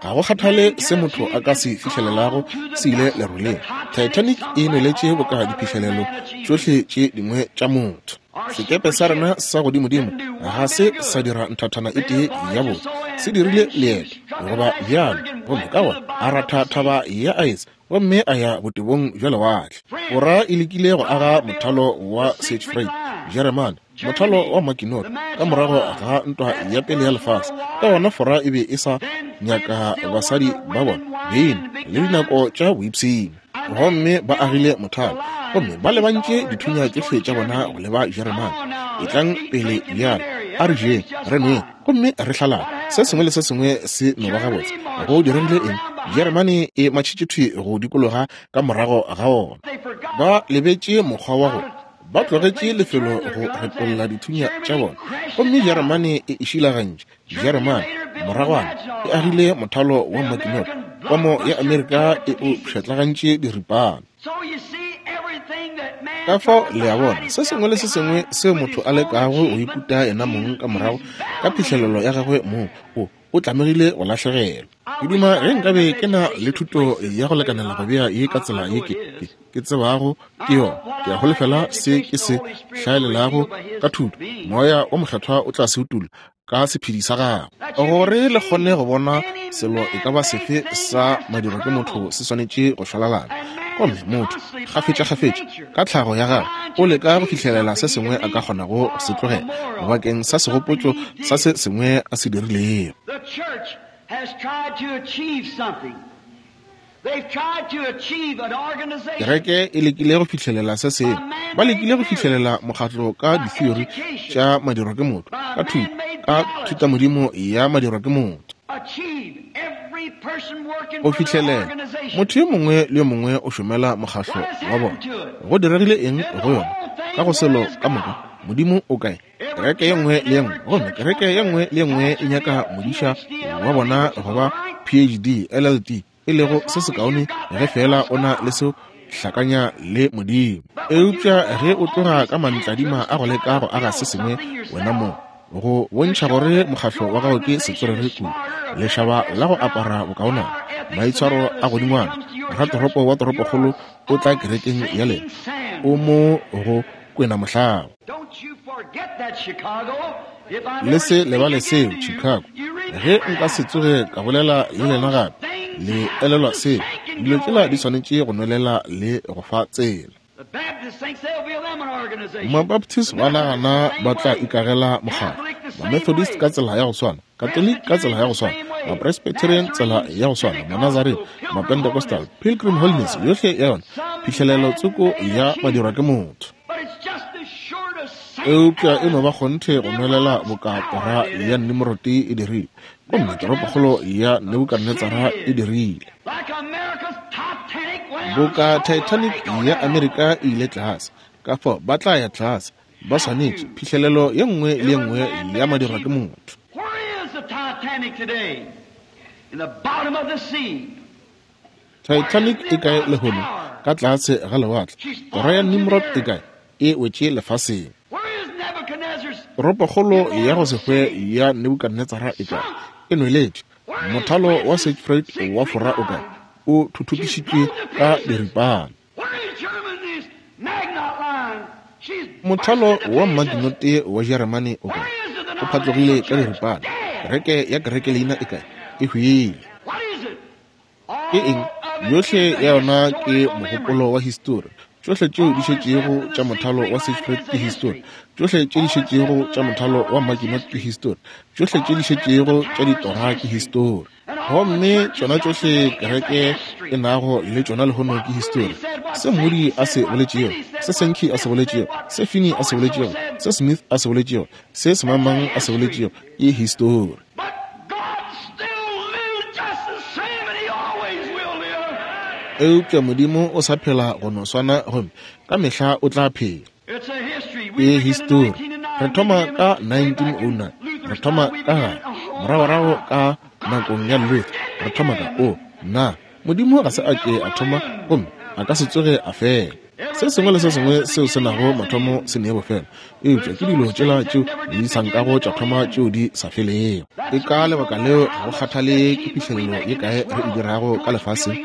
ga go kgathale se motho a ka se fihlelelago se ile leroleng. Titanic e nweletše boka diphihlelelo tšohle tše dingwe tša motho. Sekepe sa rena sa godimodimo ga se sa dira nthathana e tee ya botse, se dirile leeto goba bjalo, gomme ka gona a ratha thaba ya aese gomme a ya botebong bja lewatle. Fora e lekile go aga mothalo wa Siegfried, Jeremane mothalo wa Maginot ka morago ga ntwa ya pele ya lefase. Ka gona Fora e be e sa nyaka basadi ba bona beine le dinako tša boipshino, gomme ba agile mothalo gomme ba lebantše dithunya tšohle tša bona go leba Jeremane. Etlang pele bjalo, a re jeng, re nweng gomme re hlalane, se sengwe le se sengwe se no ba gabotse. Go diregile eng? Jeremane e matšhitše thwi go dikologa ka morago ga ona. Ba lebetše mokgwa wa go ba tlogetše lefelo go retolla dithunya tša bona, gomme Jeremane e išilagantše. Jeremane moragwana e agile mothalo wa Maginot, komo ya Amerika e o pšhatlagantše diripana. Ka fao le a bona, se sengwe le se sengwe seo motho a lekago go ikuta yena mong ka morago ka phihlelelo ya gagwe mong, o o tlamegile go lahlegelwa. Ke duma ge nkabe ke na le thuto ya go lekanela go bea ye ka tsela ye ke ke tsebago ke yona. Ke a holofela se ke se hlaelelago ka thuto, Moya o Mokgethwa o tla se utolla ka sephedi sa gagwe, gore le kgone go bona selo e ka ba sefe sa madiro ke motho se swanetše go šwalalana. Gomme motho kgafetša-kgafetša ka tlhago ya gagwe o leka go fihlelela se sengwe a ka kgonago go se tlogela bakeng sa segopotšo sa se sengwe a se dirilego. Kereke e lekile go fihlelela se sengwe. Ba lekile go fihlelela mokgatlo ka ditheory tša madiro ke motho, ka thuto, ka thutamodimo ya madiro ke motho. Go fihlelela motho yo mongwe le yo mongwe o šomela mokgatlo wa bona. Go diregile eng go yona? Ka go selo ka moka, Modimo o kae? Kereke ye nngwe le ye nngwe, gomme kereke ye nngwe le ye nngwe e nyaka modiša wa bona goba P H D, L L D, e lego se sekaone ge fela o na le seo hlakanya le Modimo. Eupša ge o tloga ka mantladima a go leka go aga se sengwe wena mong, go bontšha gore mokgatlo wa gago ke setswerere kudu, lešaba la go apara bokaonana, maitshwaro a godingwana, ratoropo wa toropokgolo o tla kerekeng ya lena, o mo go kwena mohlaba. Le se lebale seo, Chicago. Ge nka se tsoge ka bolela le lena gape, le elelwa seo. Dilo tšela di swanetše go nwelela le go fa tsela. Mabaptist ba nagana ba tla ikagela mokgatlo, Mamethodist ka tsela ya go swana, Catholic ka tsela ya go swana, Mapresbyterian tsela ya go swana, Manazarene, Mapentecostal, Pilgrim Holiness, yohle ya yona phihlelelo tsoko ya madirwa ke motho. Eupša e no ba kgonthe go nwelela boka tora ya Nimrod e dirile, gomme toropokgolo ya Nebukadnetsara e dirile. Boka Titanic ya Amerika e ile tlase, ka fao ba tla ya tlase, ba swanetše phihlelelo ye nngwe le ye nngwe ya madirwa ke motho. Titanic e kae lehono? Ka tlase ga lewatle. Tora ya Nimrod e kae? E wetše lefaseng. Toropokgolo ya go se hwe ya Nebukadnetsara e kae? E nweletše. Mothalo wa Siegfried wa Fora o kae? O thuthupišitšwe ka diripana. Mothalo wa Maginot wa Jeremane o kae? O phatlogile ka diripana. Kereke ya kereke leina e kae? E hwile. Ke eng? Yohle ya yona ke mogopolo wa histori. Tšohle tšeo di šetšego tša mothalo wa Siegfried ke histori. Tšohle tše di šetšego tša mothalo wa Maginot ke histori. Tšohle tše di šetšego tša ditora ke histori. Gomme tšona tšohle kereke e nago le tšona lehono ke histori. Se Moody a se boletšego, se Sankey a se boletšego, se Finney a se boletšego, se Smith a se boletšego, se semangmang a se boletšego ke histori. Eupša Modimo o sa phela go no swana gomme ka mehla o tla phela. Ke histori. Re thoma ka nineteen oh nine, re thoma ka gare, moragorago ka nakong ya Luther, re thoma ka o na Modimo ga se a ke a thoma gomme a ka se tsoge a fela. Se sengwe le se sengwe seo se nago mathomo se ne bofelo, eupša ke dilo tšela tšeo di sa nkago tša thoma tšeo di sa felego. Ke ka lebaka leo ga go kgathale ke phihlelelo ye kae re e dirago ka lefaseng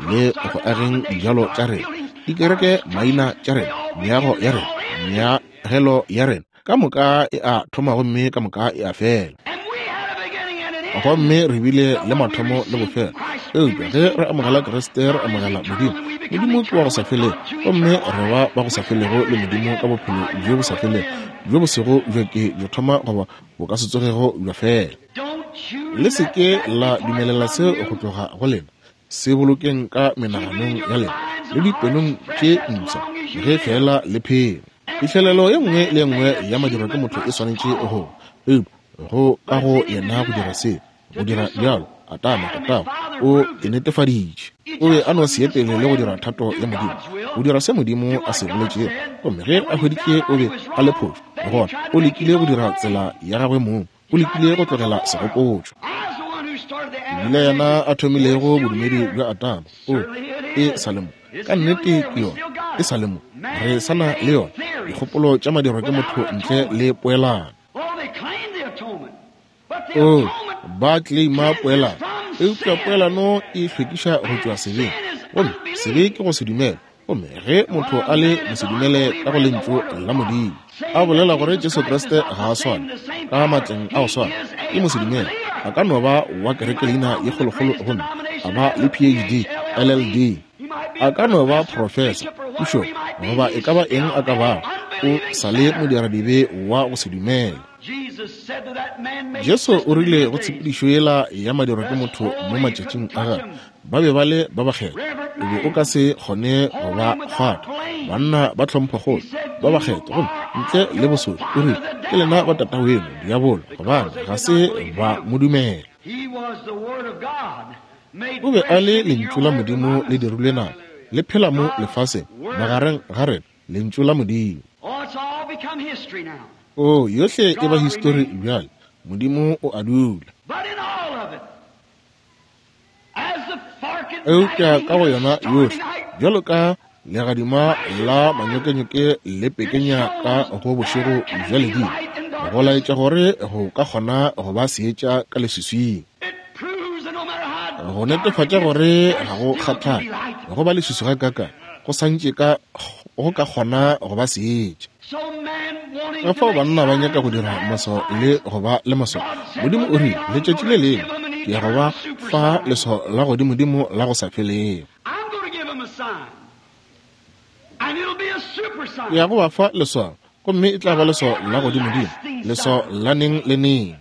le go ageng dijalo tša rena, dikereke maina tša rena, meago ya rena, meagelo ya rena, ka moka e a thoma gomme ka moka e a fela. Gomme re bile le mathomo le bofelo. Eupša ge re amogela Kriste, re amogela Modimo. Modimo ke wa go sa felego, gomme re ba ba go sa felego le Modimo ka bophelo bjo bo sa felego, bjo bo sego bja ke bjo thoma goba bo ka se tsogego bja fela. Le se ke la dumelela seo go tloga go lena. Se bolokeng ka menaganong ya lena le dipelong tše mpsha ge fela le phela. Phihlelelo ye nngwe le ye nngwe ya madirwa ke motho e swanetše go eupša go ka go yena go dira se, go dira bjalo. Atama tatago o e netefaditše. O be a no se ye pele le go dira thato ya Modimo, go dira se Modimo a se boletšego. Gomme ge a hweditše o be a le phošo, gona o lekile go dira tsela ya gagwe mong, o lekile go tlogela segopotšo. Ebile yena a thomilego bodumedi bja Atama, o e sa le mo. Ka nnete ke yona, e sa le mo. Re sa na le yona. Dikgopolo tša madirwa ke motho ntle le poelano. O ba claima poelano, eupša poelano e hlwekiša go tšwa sebeng, gomme sebe ke go se dumela. Gomme ge motho a le mosedumele ka go lentšu la Modimo, a bolela gore Jesu Kriste ga a swane ka matleng a go swana, ke mosedumele. A ka no ba wa kereke leina ye kgolokgolo gomme a ba le P H D, L L D, a ka no ba professor, pušo, goba e ka ba eng a ka bago, o sa le modiradibe wa go se dumela. Jesu o rile go tshepedišo yela ya madirwa ke motho mo matšatšing a gagwe, ba be ba le ba bakgethwa, o be o ka se kgone go ba kgwatha. Banna ba tlhomphokgolo ba bakgethwa, gomme ntle le bosodi, o rile ke lena ba tataweno diabolo, gobane ga se ba mo dumela. O be a le lentšu la Modimo le dirilwe nama, le phela mo lefaseng magareng ga rena, lentšu la Modimo. O yohle e ba histori bjale. Modimo o a dula. Eupša ka go yona yohle, bjalo ka legadima la manyokenyoke le pekenya ka go bošego bja ledimo, go laetša gore go ka kgona go ba seetša ka leswiswing. Go netefatša gore ga go kgathale go ba leswiswi ga kaka, go santše ka go ka kgona go ba seetša. Ka fao banna ba nyaka go dira maswao le go ba le maswao. Modimo o rile, letšatši le lengwe ke ya go ba fa leswao la godimodimo la go sa felego. Ke ya go ba fa leswao, gomme e tla ba leswao la godimodimo, leswao la neng le neng.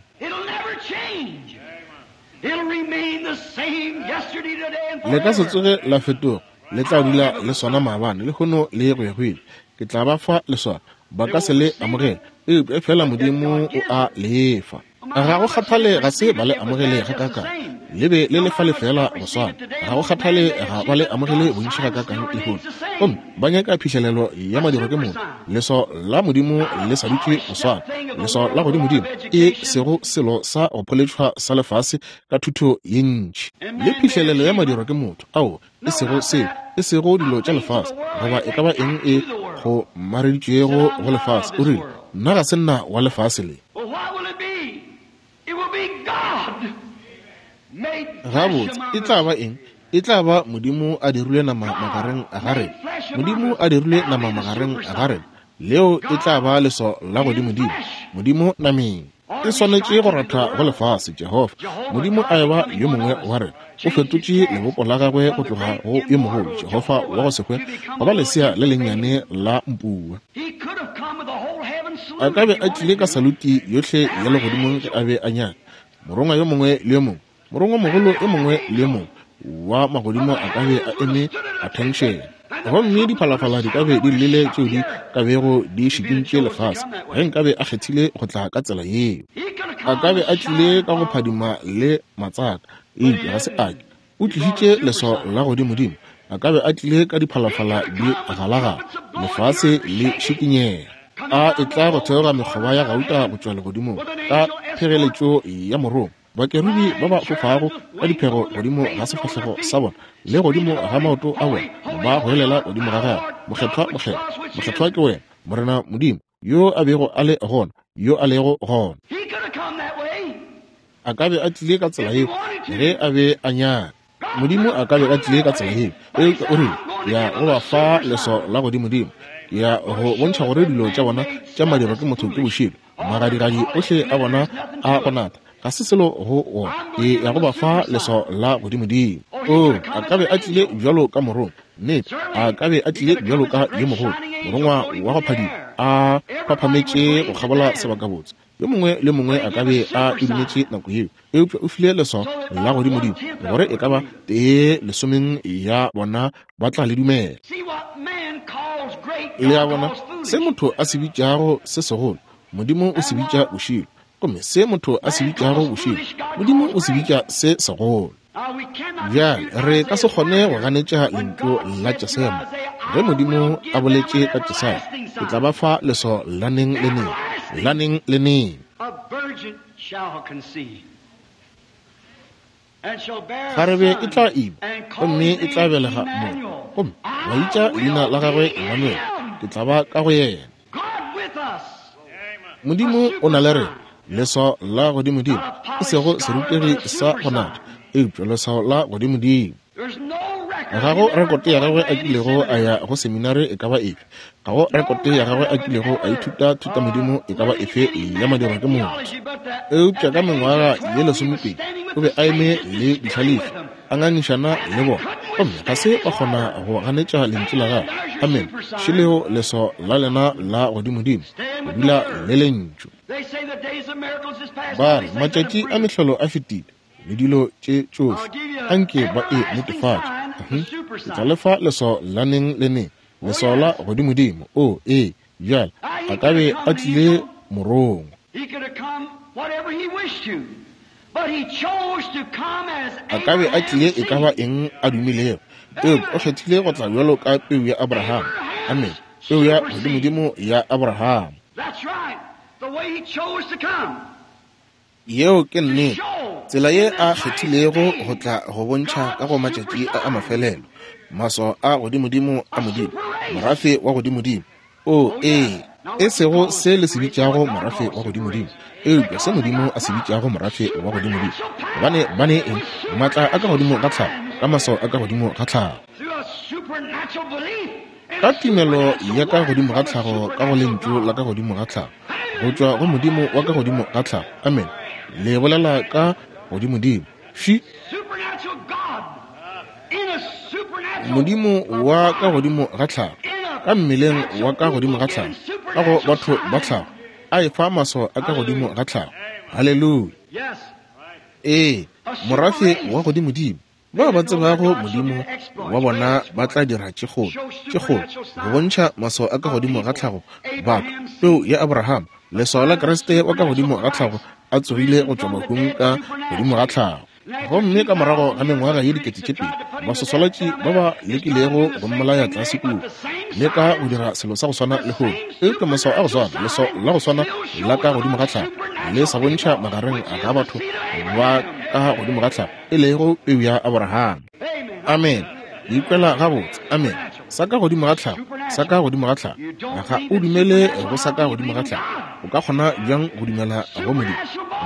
Le ka se tsoge la fetoga, le tla dula le swana maabane, lehono le go ya go ile. Ke tla ba fa leswao, ba ka se le amogele, eupša fela Modimo o a lefa. Ga go kgathale ga se ba le amogele ga kakang, le be le lefa lefela go swana. Ga go kgathale ga ba le amogele bontši ga kakang lehono, gomme ba nyaka phihlelelo ya madiro ke motho. Leswao la Modimo le sa dutše go swana, leswao la godimodimo, e sego selo sa go pholetšhwa sa lefase ka thuto ye ntši. Le phihlelelo ya madiro ke motho, ao e sego seo, e sego dilo tša lefase, goba e ka ba eng e go mareditšwego go lefase. O rile, nna ga se nna wa lefase le. Gabotse, e tla ba eng? E tla ba Modimo a dirilwe nama magareng ga rena. Modimo a dirilwe nama magareng ga rena. Leo e tla ba leswao la godimodimo, Modimo nameng. E swanetše go ratha go lefase. Jehofa Modimo a eba yo mongwe wa rena, o fetotše lebopo la gagwe go tloga go yo mogolo Jehofa wa go se hwe go ba lesea le lennyane la mpua. A ka be a tlile ka saluti yohle ya legodimong ge a be a nyaka. Morongwa yo mongwe le yo mongwe, morongwa mogolo yo mongwe le yo mongwe wa magodimo a ka be a eme attention, gomme diphalafala di ka be di llile tšeo di ka bego di šikintše lefase ge nkabe a kgethile go tla ka tsela yeo. A ka be a tlile ka go phadima le matsaka, eupša ga se a ke. O tlišitše leswao la godimodimo. A ka be a tlile ka diphalafala di galagala, lefase le šikinyega, a e tla go theoga mekgoba ya gauta go tšwa legodimong ka phegeletšo ya morongwa, bakerubi ba ba fofago ka diphego godimo ga sefahlego sa bona le godimo ga maoto a bona, ba goelela godimo ga gagwe, mokgethwa, mokgethwa, mokgethwa ke wena, Morena Modimo, yo a bego a le gona, yo a lego gona. A ka be a tlile ka tsela yeo ge a be a nyaka. Modimo a ka be a tlile ka tsela yeo, eupša o rile, ya go ba fa leswao la godimodimo, ya go bontšha gore dilo tša bona tša madiro ke motho ke bošilo, magadigadi ohle a bona a go nata ga se selo go ona, e ya go ba fa leswao la godimodimo. O a ka be a tlile bjalo ka morongwa, nnete, a ka be a tlile bjalo ka yo mogolo morongwa wa go phadima, a phaphametše go kgabola sebakabotse. Yo mongwe le mongwe a ka be a e dumetše nako yeo, eupša o file leswao la godimodimo gore e ka ba tee lesomeng ya bona ba tla le dumela. Le a bona, se motho a se bitšago se segolo, Modimo o se bitša bošilo, gomme se motho a se bitšago bošilo, Modimo o se bitša se segolo. Bjale re ka se kgone go ganetša lentšu la Jesaya. Ge Modimo a boletše ka Jesaya, ke tla ba fa leswao la neng le neng, la neng le neng. Kgarebe e tla ima, gomme e tla belega morwa, gomme wa bitša leina la gagwe Emmanuel, ke tla ba ka go yena. Modimo o na le rena, leswao la godimodimo, e sego serutegi sa go nata, eupša leswao la godimodimo. Ga go rekote ya gagwe a kilego a ya go seminare e ka ba efe, ga go rekote ya gagwe a kilego a ithuta thutamodimo e ka ba efe ya madiro ke motho. Eupša ka mengwaga ye lesomepedi o be a eme le dihlalefi, a ngangišana le bona, gomme ga se ba kgona go ganetša lentšu la gagwe. Amen. Šeleo leswao la lena la godimodimo, go dula le lentšu. Ba re matšatši a mehlolo a fetile le dilo tše tšohle, anke ba e netefatše. Ke tla lefa leswao la neng le neng, leswao la godimodimo. O ee, bjale a ka be a tlile morongwa, a ka be a tlile e ka ba eng a dumilego, eupša o kgethile go tla bjalo ka peu ya Abraham. Amen. Peu ya godimodimo ya Abraham. Yeo ke nnete, tsela ye a kgethilego go tla go bontšha ka go matšatši a a mafelelo, maswao a godimodimo a Modimo, morafe wa godimodimo. O ee, e sego se le se bitšago morafe wa godimodimo, eupša se Modimo a se bitšago morafe wa godimodimo. Gobane ba ne eng? Maatla a ka godimo ga tlhago, ka maswao a ka godimo ga tlhago. Ka tumelo ya ka godimo ga tlhago ka go lentšu la ka godimo ga tlhago, go tšwa go Modimo wa ka godimo ga tlhago. Amen. Le bolela ka godimodimo. Ši. Modimo wa ka godimo ga tlhago, ka mmeleng wa ka godimo ga tlhago, ka go batho ba tlhago, a efa maswao a ka godimo ga tlhago. Haleluya. Ee, morafe wa godimodimo. Bao ba tsebago Modimo wa bona ba tla dira tše kgolo, tše kgolo, go bontšha maswao a ka godimo ga tlhago. Batho, peu ya Abraham, leswao la Kriste wa ka godimo ga tlhago a tsogile go tšwa bahung ka godimo ga tlhago. Gomme ka morago ga mengwaga ye dikete tše pedi, baswaswalatši ba ba lekilego go mmolaya tlase kua, le ka go dira selo sa go swana le lehono. Eupša maswao a go swana, leswao la go swana la ka godimo ga tlhago le sa bontšha magareng ga batho ba ka godimo ga tlhago, e lego peu ya Abraham. Amen. Ikwela gabotse. Amen. Sa ka godimo ga tlhago, sa ka godimo ga tlhago. Ga o dumele go sa ka godimo ga tlhago, o ka kgona bjang go dumela go Modimo?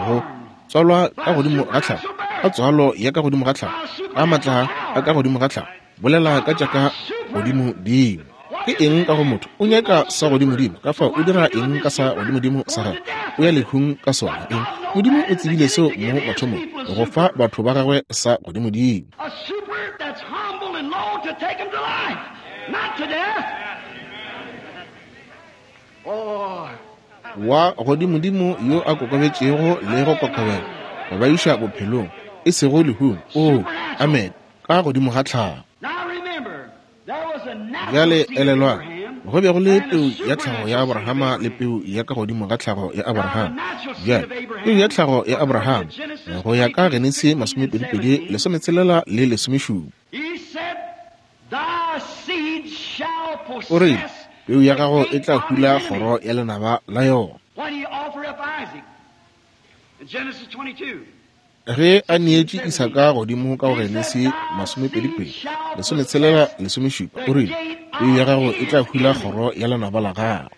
Go tswalwa ka godimo ga tlhago, ka tswalo ya ka godimo ga tlhago, ka matla a ka godimo ga tlhago, bolela ka tša ka godimodimo. Ke eng ka go motho? O nyaka sa godimodimo. Ka fao o dira eng ka sa godimodimo sa gagwe? O ya lehung ka sona. Eng? Modimo o tsebile seo mo mathomong, go fa batho ba gagwe sa godimodimo. Wa godimodimo yo a kokobetšego le go kokobela, go ba iša bophelong, e sego lehung. Oh, amen. Ka godimo ga tlhago. Bjale elelwang, go be go le peu ya tlhago ya Abrahama le peu ya ka godimo ga tlhago ya Abrahama. Bjale, peu ya tlhago ya Abrahama, go ya ka Genesi masomepedipedi, lesometshelela le lesomešupa. O rile, peu ya gago e tla hula kgoro ya lenaba la yona. Ge a neetše Isaka godimo ka go Genesi masomepedipedi, lesometshelela, lesomešupa, o rile, peu ya gago e tla hula kgoro ya lenaba la gago.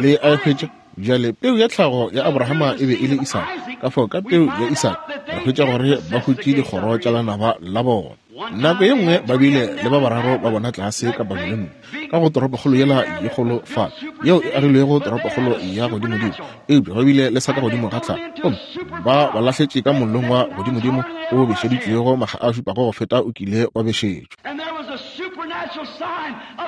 Le a hwetša? Bjale peu ya tlhago ya Abrahama e be e le Isaka. Ka fao ka peu ya Isaka re hwetša gore ba hutše dikgoro tša lenaba la bona. Nako ye nngwe ba bile le ba bararo ba bona tlase ka Babilone, ka go toropokgolo yela ye kgolo fa, yeo e agilwego toropokgolo ya godimodimo, eupša ba bile le sa ka godimo ga tlhago, gomme ba ba lahletše ka mollong wa godimodimo o bešeditšwego makga a šupago go feta o kile wa bešetšwa.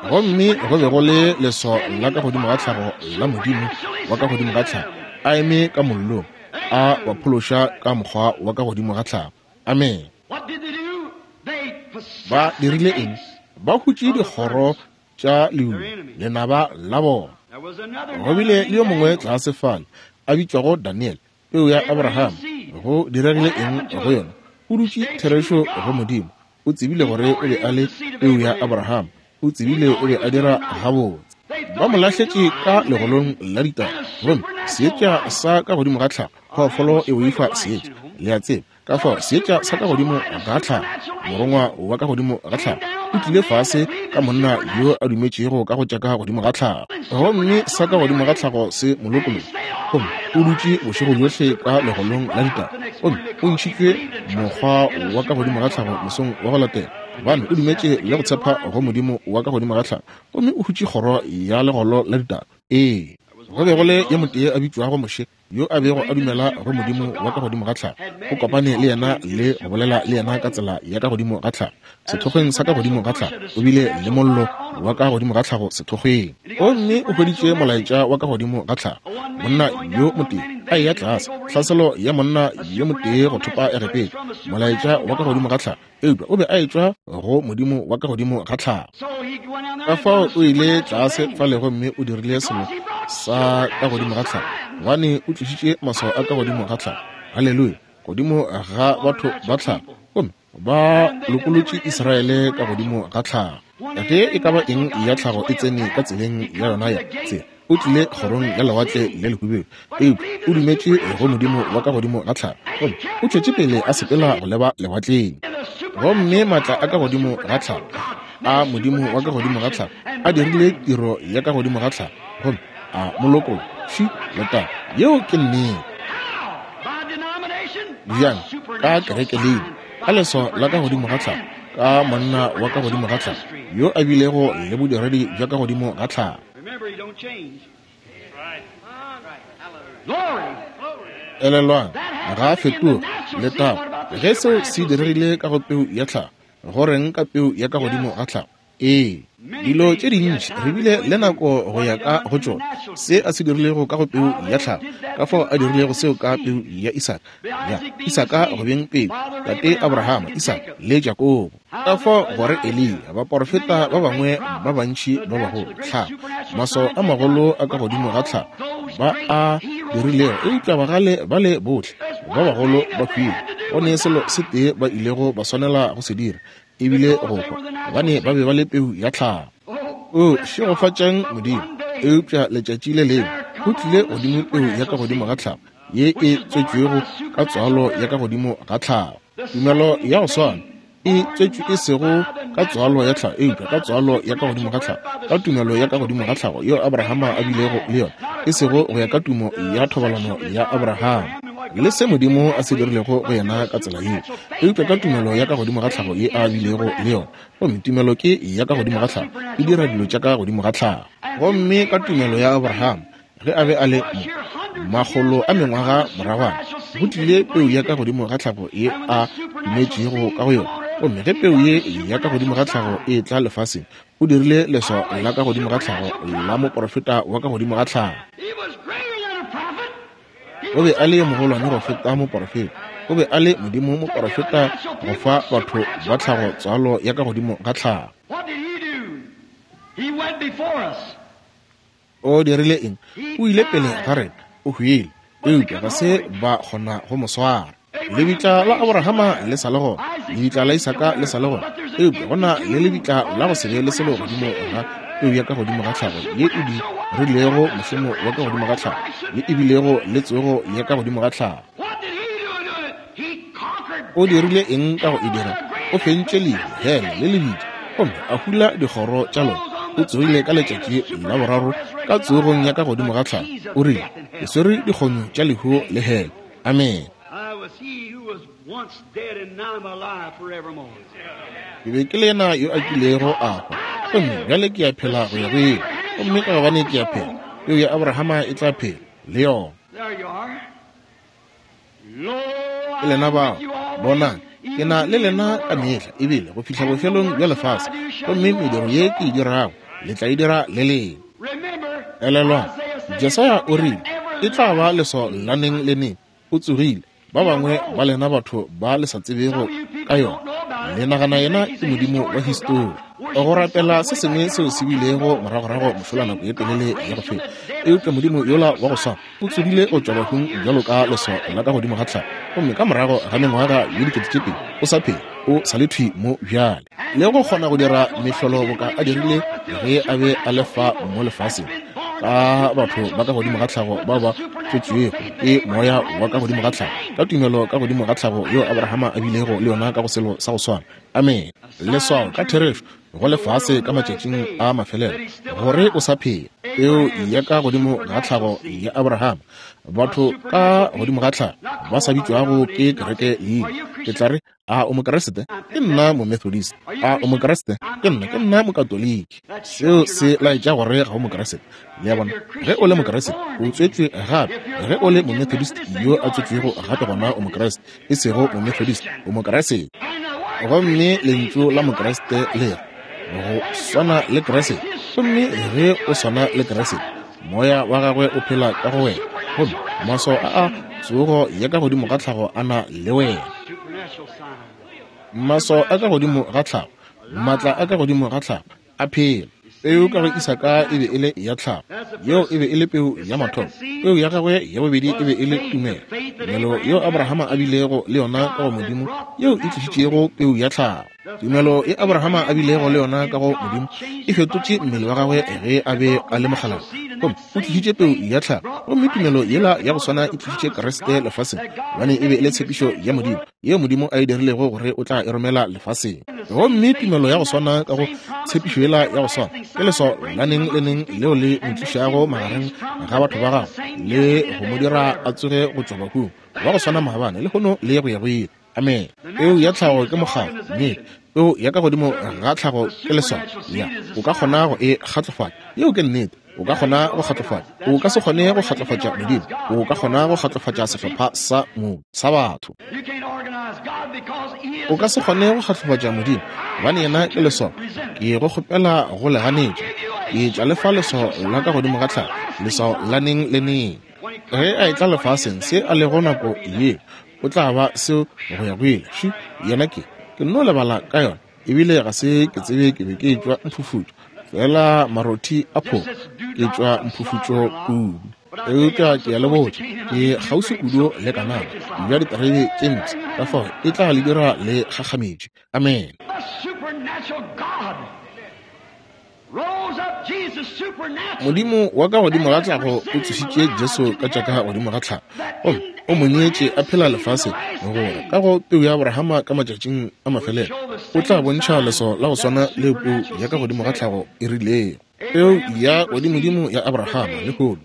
Gomme go be go le leswao la ka godimo ga tlhago la Modimo wa ka godimo ga tlhago a eme ka mollong, a ba phološa ka mokgwa wa ka godimo ga tlhago. Amen. Ba dirile eng? Ba hutše dikgoro tša lehu, lenaba la bona. Go bile le yo mongwe tlase fale a bitšwago Daniel, peu ya Abraham. Go diregile eng go yona? O dutše therešo go Modimo. O tsebile gore o be a le peu ya Abraham. O tsebile o be a dira gabotse. Ba mo lahletše ka legolong la ditaba, gomme seetša sa ka godimo ga tlhago, phoofolo e boifa seetša, le a tseba. Ka fao seetša sa ka godimo ga tlhago, morongwa wa ka godimo ga tlhago, o tlile fase ka monna yo a dumetšego ka go tša ka godimo ga tlhago, gomme sa ka godimo ga tlhago se mo lokolotše, gomme o dutše bošego bjohle ka legolong la ditaba, gomme o ntšhitšwe mokgwa wa ka godimo ga tlhago mosong wa go latela, gobane o dumetše le go tshepa go Modimo wa ka godimo ga tlhago, gomme o hutše kgoro ya legolo la ditaba. Ee, go be go le yo motee a bitšwago Moshe, yo a bego a dumela go Modimo wa ka godimo ga tlhago. O kopane le yena le go bolela le yena ka tsela ya ka godimo ga tlhago, sethokgweng sa ka godimo ga tlhago. O bile le mollo wa ka godimo ga tlhago sethokgweng, gomme o hweditše molaetša wa ka godimo ga tlhago. Monna yo motee a eya tlase, tlhaselo ya monna yo motee go thopa Egepeta, molaetša wa ka godimo ga tlhago, eupša o be a etšwa go Modimo wa ka godimo ga tlhago. Ka fao o ile tlase fale gomme o dirile selo sa ka godimo ga tlhago, gobane o tlišitše maswao a ka godimo ga tlhago. Haleluya! Godimo ga batho ba tlhago, gomme ba lokolotše Israele ka godimo ga tlhago. Ge e ka ba eng ya tlhago e tsene ka tseleng ya yona ya tsela, o tlile kgorong ya lewatle le lehubedu, eupša o dumetše go Modimo wa ka godimo ga tlhago, gomme o tšwetše pele a sepela go leba lewatleng. Gomme matla a ka godimo ga tlhago a Modimo wa ka godimo ga tlhago a dirile tiro ya ka godimo ga tlhago, gomme a mo lokolla. Ši leta, yeo ke nnete. Bjang? Ka kereke leina, Ka leswao la ka godimo ga tlhago, ka monna wa ka godimo ga tlhago, yo a bilego le bodiredi bja ka godimo ga tlhago. Elelwang, ga a fetoge. Letago, ge seo se diregile ka go peu ya tlhago, go reng ka peu ya ka godimo ga tlhago? Ee, dilo tše dintši re bile le nako go ya ka go tšona, se a se dirilego ka go peu ya tlhago, ka fao a dirilego seo ka peu ya Isaka, ya Isaka go beng peu, tate Abrahama, Isaka le Jakobo, ka fao gore Eliya, baporofeta ba bangwe ba bantši ba bagolo, tlhago, maswao a magolo a ka godimo ga tlhago ba a dirilego, eupša bagale ba le bohle ba bagolo ba hwile. Go ne selo se tee ba ilego ba swanela go se dira, ebile go hwa, gobane ba be ba le peu ya tlhago. O šegofatšang Modimo, eupša letšatši le lengwe go tlile godimo peu ya ka godimo ga tlhago, ye e tswetšwego ka tswalo ya ka godimo ga tlhago. Tumelo ya go swana e tswetšwe e sego ka tswalo ya tlhago, eupša ka tswalo ya ka godimo ga tlhago, ka tumelo ya ka godimo ga tlhago yeo Abrahama a bilego le yona, e sego go ya ka tumo ya thobalano ya Abrahama le se Modimo a se dirilego go yena ka tsela yeo, eupša ka tumelo ya ka godimo ga tlhago ye a bilego le yona. Gomme tumelo ke ya ka godimo ga tlhago, e dira dilo tša ka godimo ga tlhago. Gomme ka tumelo ya Abrahama, ge a be a le mo makgolo a mengwaga moragwana, go tlile peu ya ka godimo ga tlhago ye a dumetšego ka go yona. Gomme ge peu ye ya ka godimo ga tlhago e tla lefaseng, o dirile leswao la ka godimo ga tlhago la moporofeta wa ka godimo ga tlhago. O be a le mogolwane go feta moporofeta. O be a le Modimo moporofeta go fa batho ba tlhago tswalo ya ka godimo ga tlhago. O dirile eng? O ile pele ga rena, o hwile, eupša ga se ba kgona go mo swara. Lebitla la Abrahama le sa le gona, lebitla la Isaka le sa le gona, eupša go na le lebitla la go se be le selo godimo ga peu ya ka godimo ga tlhago ye e dirilego mošomo wa ka godimo ga tlhago, ye e bilego le tsogo ya ka godimo ga tlhago. O dirile eng ka go e dira? O fentše lehu, hele le lebitla, gomme a hula dikgoro tša lona. O tsogile ka letšatši la boraro ka tsogong ya ka godimo ga tlhago. O rile, ke swere dikgonyo tša lehu le hele. Amen. Ke be ke le yena yo a kilego a hwa, gomme bjale ke a phela go ya go ile. Gomme ka gobane ke a phela, peu ya Abrahama e tla phela le yona. Ke lena bao, bonang, ke na le lena ka mehla, ebile go fihla bofelong bja lefase. Gomme mediro ye ke e dirago, le tla e dira le leng. Elelwang, Jesaya o rile, e tla ba leswao la neng le neng. O tsogile. Ba bangwe ba lena batho ba le sa tsebego ka yona, le nagana yena ke modimo wa histori, go rapela se sengwe seo se bilego moragorago mošola nako ye telele ya go feta. Eupša modimo yola wa go swana o tsogile go tšwa bahung bjalo ka leswao la ka godimo ga tlhago, gomme ka morago ga mengwaga ye dikete tše pedi o sa phela, o sa le thwi mo bjale, le go kgona go dira mehlolo boka a dirile ge a be a le fa mo lefaseng, ka batho ba ka godimo ga tlhago bao ba tswetšwego ke moya wa ka godimo ga tlhago, ka tumelo ka godimo ga tlhago yeo Abrahama a bilego le yona ka go selo sa go swana. Amen. Leswao ka therešo go lefase ka matšatšing a mafelelo gore o sa phela. Peo ya ka godimo ga tlhago ya Abrahama, batho ka godimo ga tlhago ba sa bitšwago ke kereke leina. Ke tla re, a o mokeresete? Ke nna momethodist. A o mokeresete? Ke nna, ke nna mokatoliki. Seo se laetša gore ga o mokeresete. Le a bona, ge o le mokeresete, o tswetšwe gape. Ge o le momethodist yo a tswetšwego gape, gona o mokeresete, e sego momethodist, o mokeresete. Gomme lentšu la mokeresete le re go swana le Keresete. Gomme ge o swana le Keresete, moya wa gagwe o phela ka go wena, gomme maswao a a tsogo ya ka godimo ga tlhago a na le wena. Maswao a ka godimo ga tlhago, maatla a ka godimo ga tlhago a phela. Peu ka go Isaka e be e le ya tlhago, yeo e be e le peu ya mathomo. Peu ya gagwe ya bobedi e be e le tumelo, tumelo yeo Abrahama a bilego le yona ka go Modimo, yeo e tlišitšego peu ya tlhago. Tumelo ye Abrahama a bilego le yona ka go Modimo e fetotše mmele wa gagwe ge a be a le mokgalabje, gomme o tlišitše peu ya tlhago. Gomme tumelo yela ya go swana e tlišitše Kriste lefaseng, gobane e be e le tshepišo ya Modimo yeo Modimo a e dirilego gore o tla e romela lefaseng. Gomme tumelo ya go swana ka go tshepišo yela ya go swana ke leswao la neng le neng leo le mo tlišago magareng ga batho ba gagwe le go mo dira a tsoge go tšwa bahung, wa go swana maabane, lehono le go ya go ile. Amen. Peu ya tlhago ke mokgatlo, mme peu ya ka godimo ga tlhago ke leswao. Ya, o ka kgona go e kgatlofatša. Yeo ke nnete. O ka kgona go kgatlofatša. O ka se kgone go kgatlofatša Modimo. O ka kgona go kgatlofatša sehlopha sa mo sa batho. O ka se kgone go kgatlofatša Modimo, gobane yena ke leswao. Ke go kgopela go le ganetša. Ke tla le fa leswao la ka godimo ga tlhago, leswao la neng le neng. Ge a etla lefaseng, se a lego nako ye, o tla ba seo go ya go ile. Ši, yena ke, ke nno lebala ka yona, ebile ga se ke tsebe ke be ke tšwa mphufutšo, fela marothi a phoko, ke tšwa mphufutšo kudu. Eupša ke a le botša, ke kgauswi kudu le Kanana bja diterebe tše mpsha, ka fao e tla le dira le gakgametše. Amen. Modimo wa ka godimo ga tlhago o tsošitše Jesu ka tša ka godimo ga tlhago, gomme o mo neetše a phela lefaseng, gore ka go peu ya Abrahama ka matšatšing a mafelelo o tla bontšha leswao la go swana le peu ya ka godimo ga tlhago e rilego. Peu ya godimodimo ya Abrahama lehono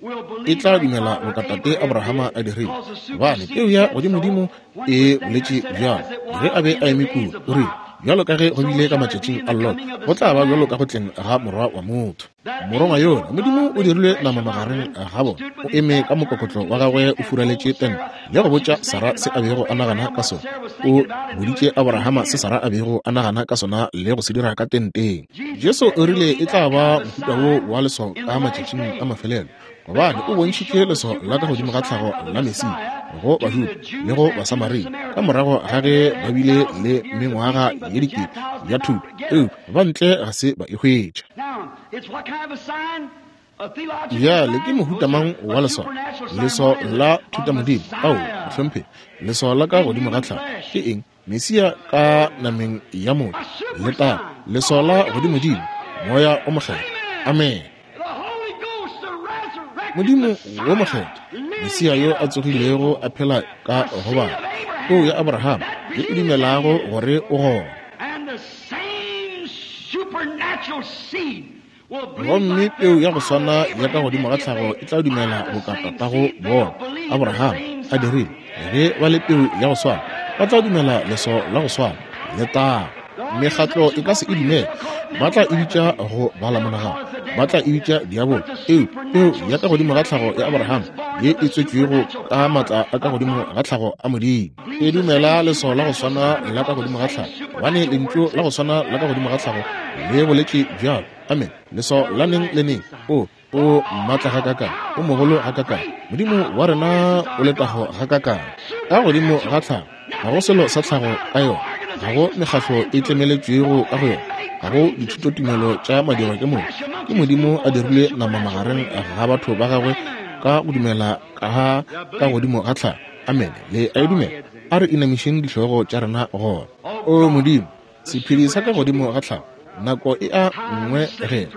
e tla dumela bokatate Abrahama a dirile, gobane peu ya godimodimo e boletše bjalo. Ge a be a eme kua, o rile, bjalo ka ge go bile ka matšatšing a Lot, go tla ba bjalo ka go tleng ga morwa wa motho. Morongwa yona, Modimo o dirilwe nama magareng ga bona, o eme ka mokokotlo wa gagwe o furaletše tente le go botša Sara se a bego a nagana ka sona. O boditše Abrahama se Sara a bego a nagana ka sona le go se dira ka tenteng. Jesu o rile e tla ba mohuta wo wa leswao ka matšatšing a mafelelo, gobane o bontšhitše leswao la ka godimo ga tlhago la Mesia go Bajuda le go Basamaria ka morago ga ge ba bile le mengwaga ye dikete ya thuto, eupša ba ntle ga se ba e hwetša. Bjale ke mohuta mang wa leswao? Leswao la thutamodimo? Ao, mohlomphegi, leswao la ka godimo ga tlhago ke eng? Mesia ka nameng ya motho. Letago, leswao la godimodimo, Moya o Mokgethwa. Amen. Modimo wo mokgethwa, Mesia yo a tsogilego a phela ka go batho, peu ya Abrahama ye e dumelago gore o gona. Gomme peu ya go swana ya ka godimo ga tlhago e tla dumela boka tatago bona Abrahama a dirile. Ge ba le peu ya go swana, ba tla dumela leswao la go swana. Letago. Mekgatlo e ka se e dumele, ba tla e bitša go bala monagano, ba tla e bitša diabolo. Eo peu ya ka godimo ga tlhago ya Abrahama ye e tswetšwego ka maatla a ka godimo ga tlhago a Modimo, e dumela leswao la go swana la ka godimo ga tlhago, gobane lentšu la go swana la ka godimo ga tlhago le boletše bjalo. Amen. Leswao la neng le neng. O o maatla gakakang, o mogolo gakakang, Modimo wa rena o letago gakakang. Ka godimo ga tlhago ga go selo sa tlhago ka yona, ga go mekgatlo e tlemeletšwego ka go yona, ga go dithutotumelo tša madirwa ke motho. Ke Modimo a dirile nama magareng ga batho ba gagwe ka go dumela ka ka godimo ga tlhago. Amen. Le a e dumela? A re inamišeng dihlogo tša rena gona. O Modimo, sephedi sa ka godimo ga tlhago, nako e a ngwegela,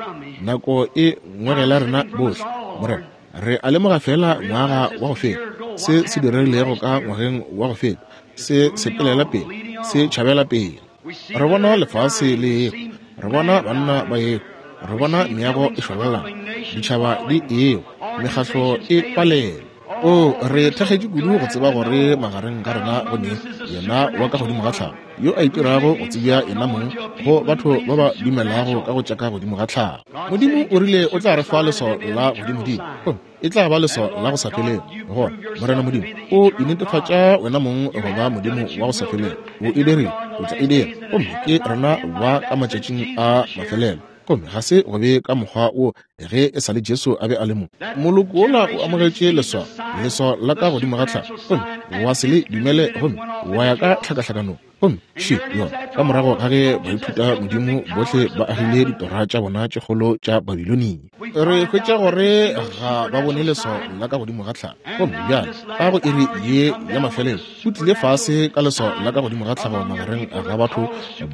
nako e ngwegela rena bohle. Morena, re a lemoga fela ngwaga wa go feta, se se diregilego ka ngwageng wa go feta, se sepelela pele, se tšhabela pele. Re bona lefase le ego, re bona banna ba ego, re bona meago e šwalalana, ditšhaba di ego, mekgatlo e palela. O re thakgetše kudu go tseba gore magareng ga rena go ne yena wa ka godimo ga tlhago, yo a itirago go tsebja yena mong go batho ba ba dumelago ka go tša ka godimo ga tlhago. Modimo o rile o tla re fa leswao la godimodimo, gomme e tla ba leswao la go sa felego. Gona Morena Modimo o inetefatša wena mong go ba Modimo wa go sa felego. O e dirile, o tla e dira, gomme ke rena ba ka matšatšing a mafelelo. Gomme ga se go be ka mokgwa wo ge e sa le Jesu a be a le mo. Moloko wola o amogetše leswao, leswao la ka godimo ga tlhago, gomme wa se le dumele, gomme wa ya ka tlhakahlakanong. Gomme še yona, ka morago ga ge baithuta Modimo bohle ba agile ditora tša bona tše kgolo tša Babilonia, re hwetša gore ga ba bone leswao la ka godimo ga tlhago. Gomme bjale ka go iri ye ya mafelelo o tlile fase ka leswao la ka godimo ga tlhago magareng ga batho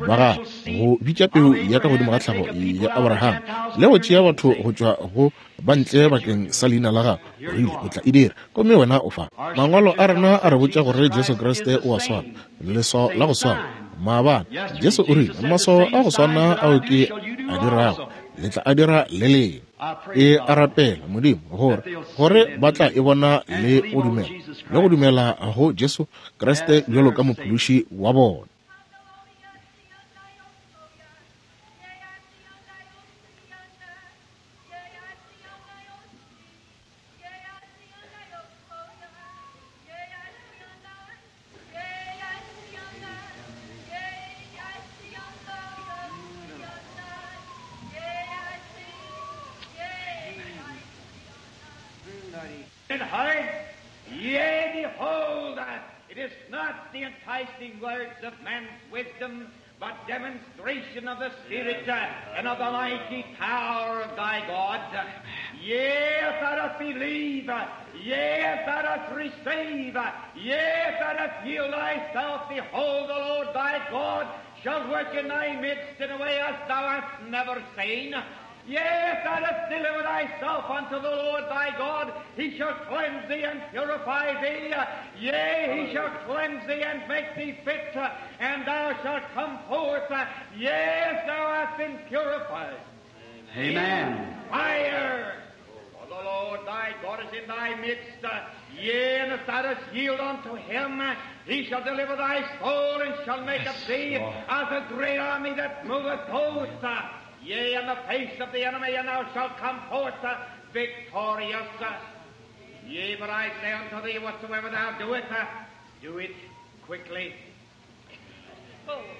ba gagwe, go bitša peu ya ka godimo ga tlhago ya Abrahama le go tšea batho go tšwa go ba ntle bakeng sa leina la gagwe. O rile o tla e dira, gomme wena o fa. Mangwalo a rena a re botša gore Jesu Kriste o a swana, leswao la go swana maabane. Jesu o rile maswao a go swana ao ke a dirago le tla a dira le leng. E a rapela Modimo gore gore ba tla e bona le go dumela le go dumela go Jesu Kriste bjalo ka mophološi wa bona. Yea, behold, it is not the enticing words of man's wisdom, but demonstration of the Spirit and of the mighty power of thy God. Yea, if thou dost believe, yea, if thou dost receive, yea, if thou dost yield thyself, behold, the Lord thy God shall work in thy midst in a way as thou hast never seen. Yea, if thou dost deliver thyself unto the Lord thy God, he shall cleanse thee and purify thee. Yea, he shall cleanse thee and make thee fit, and thou shalt come forth. Yea, if thou hast been purified. Amen. Fire! For the Lord thy God is in thy midst. Yea, and if thou dost yield unto him, he shall deliver thy soul and shall make of thee as a great army that moveth hosts. Yea, in the face of the enemy, and thou shalt come forth uh, victorious. Uh, yea, but I say unto thee, whatsoever thou doest, uh, do it quickly.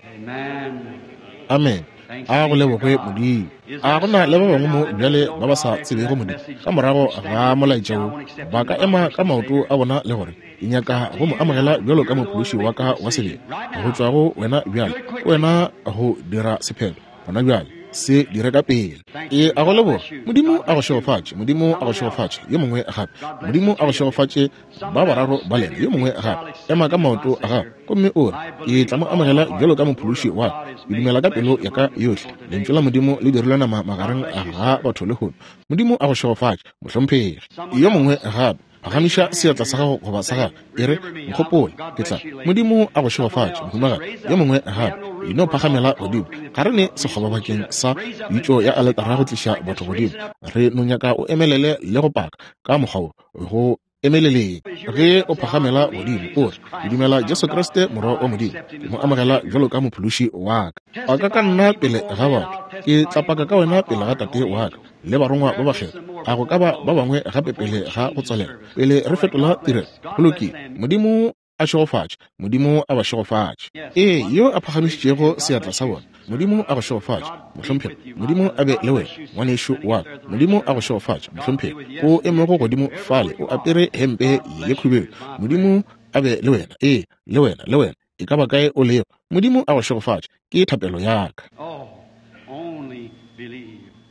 Amen. Amen. A go leboge Modimo. A go na le ba bangwe mo bjale ba ba sa tsebego Modimo ka morago ga molaetša wo ba ka ema ka maoto a bona le gore ke nyaka go mo amogela bjalo ka mophološi wa ka wa sebele go tšwa go wena bjale wena go dira sephetho gona bjale se dire ka pele. E a go leboga Modimo a go šegofatše. Modimo a go šegofatše. Yo mongwe gape. Modimo a go šegofatše ba bararo ba lena. Yo mongwe gape. Ema ka maoto a gago gomme o re ke tla mo amogela bjalo ka mophološi wa ka. Ke dumela ka pelo ya ka yohle lentšu la Modimo le dirilwe nama magareng ga batho lehono. Modimo a go šegofatše mohlomphegi. Yo mongwe gape. Phagamiša seatla sa gago goba sa gago e re nkgopole ke tla. Modimo a go šegofatše mohumagadi. Yo mongwe gape. E no phagamela godimo. Ga re ne sekgoba bakeng sa pitšo ya aletara go tliša batho godimo. Re no nyaka o emelele le go paka ka mokgwa wo go emeleleng. Ge o phagamela godimo o re ke dumela Jesu Kriste morwa wa Modimo, ke mo amogela bjalo ka mophološi wa ka. Paka ka nna pele ga batho, ke tla paka ka wena pele ga Tate wa ka le barongwa ba bakgethwa. A go ka ba ba bangwe gape pele ga go tswalela pele re fetola tirelo? Go lokile. Modimo a šegofatše. Modimo a ba šegofatše. Ee, yo a phagamišitšego seatla sa bona, Modimo a go šegofatše mohlomphegi. Modimo a be le wena ngwanešu wa ka. Modimo a go šegofatše mohlomphegi. O emego godimo fale o apere hempe ye khubedu. Modimo a be le wena. Ee, le wena, le wena, e ka ba kae o lego. Modimo a go šegofatše. Ke thapelo ya ka.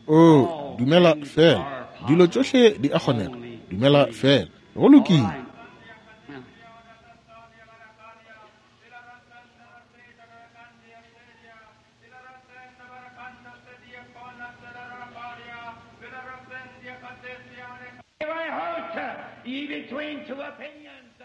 O dumela fela. Dilo tšohle di a kgonega. Dumela fela. Go lokile. Ye between two opinions.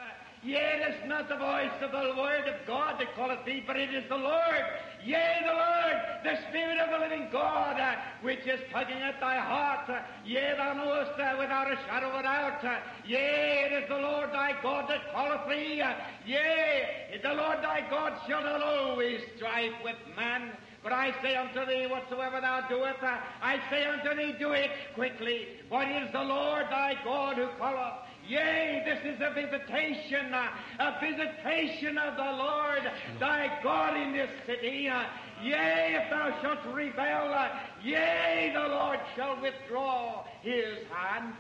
Yea, it is not the voice of the Lord of God that calleth thee, but it is the Lord, yea, the Lord, the Spirit of the living God, uh, which is tugging at thy heart. Uh, yea, thou knowest uh, without a shadow of a doubt. Uh, yea, it is the Lord thy God that calleth thee. Uh, yea, the Lord thy God shall not always strive with man. But I say unto thee, whatsoever thou doest, uh, I say unto thee, do it quickly. For it is the Lord thy God who calleth. Yea, this is a visitation, uh, a visitation of the Lord thy God in this city. Uh, yea, if thou shalt rebel, uh, yea, the Lord shall withdraw his hand.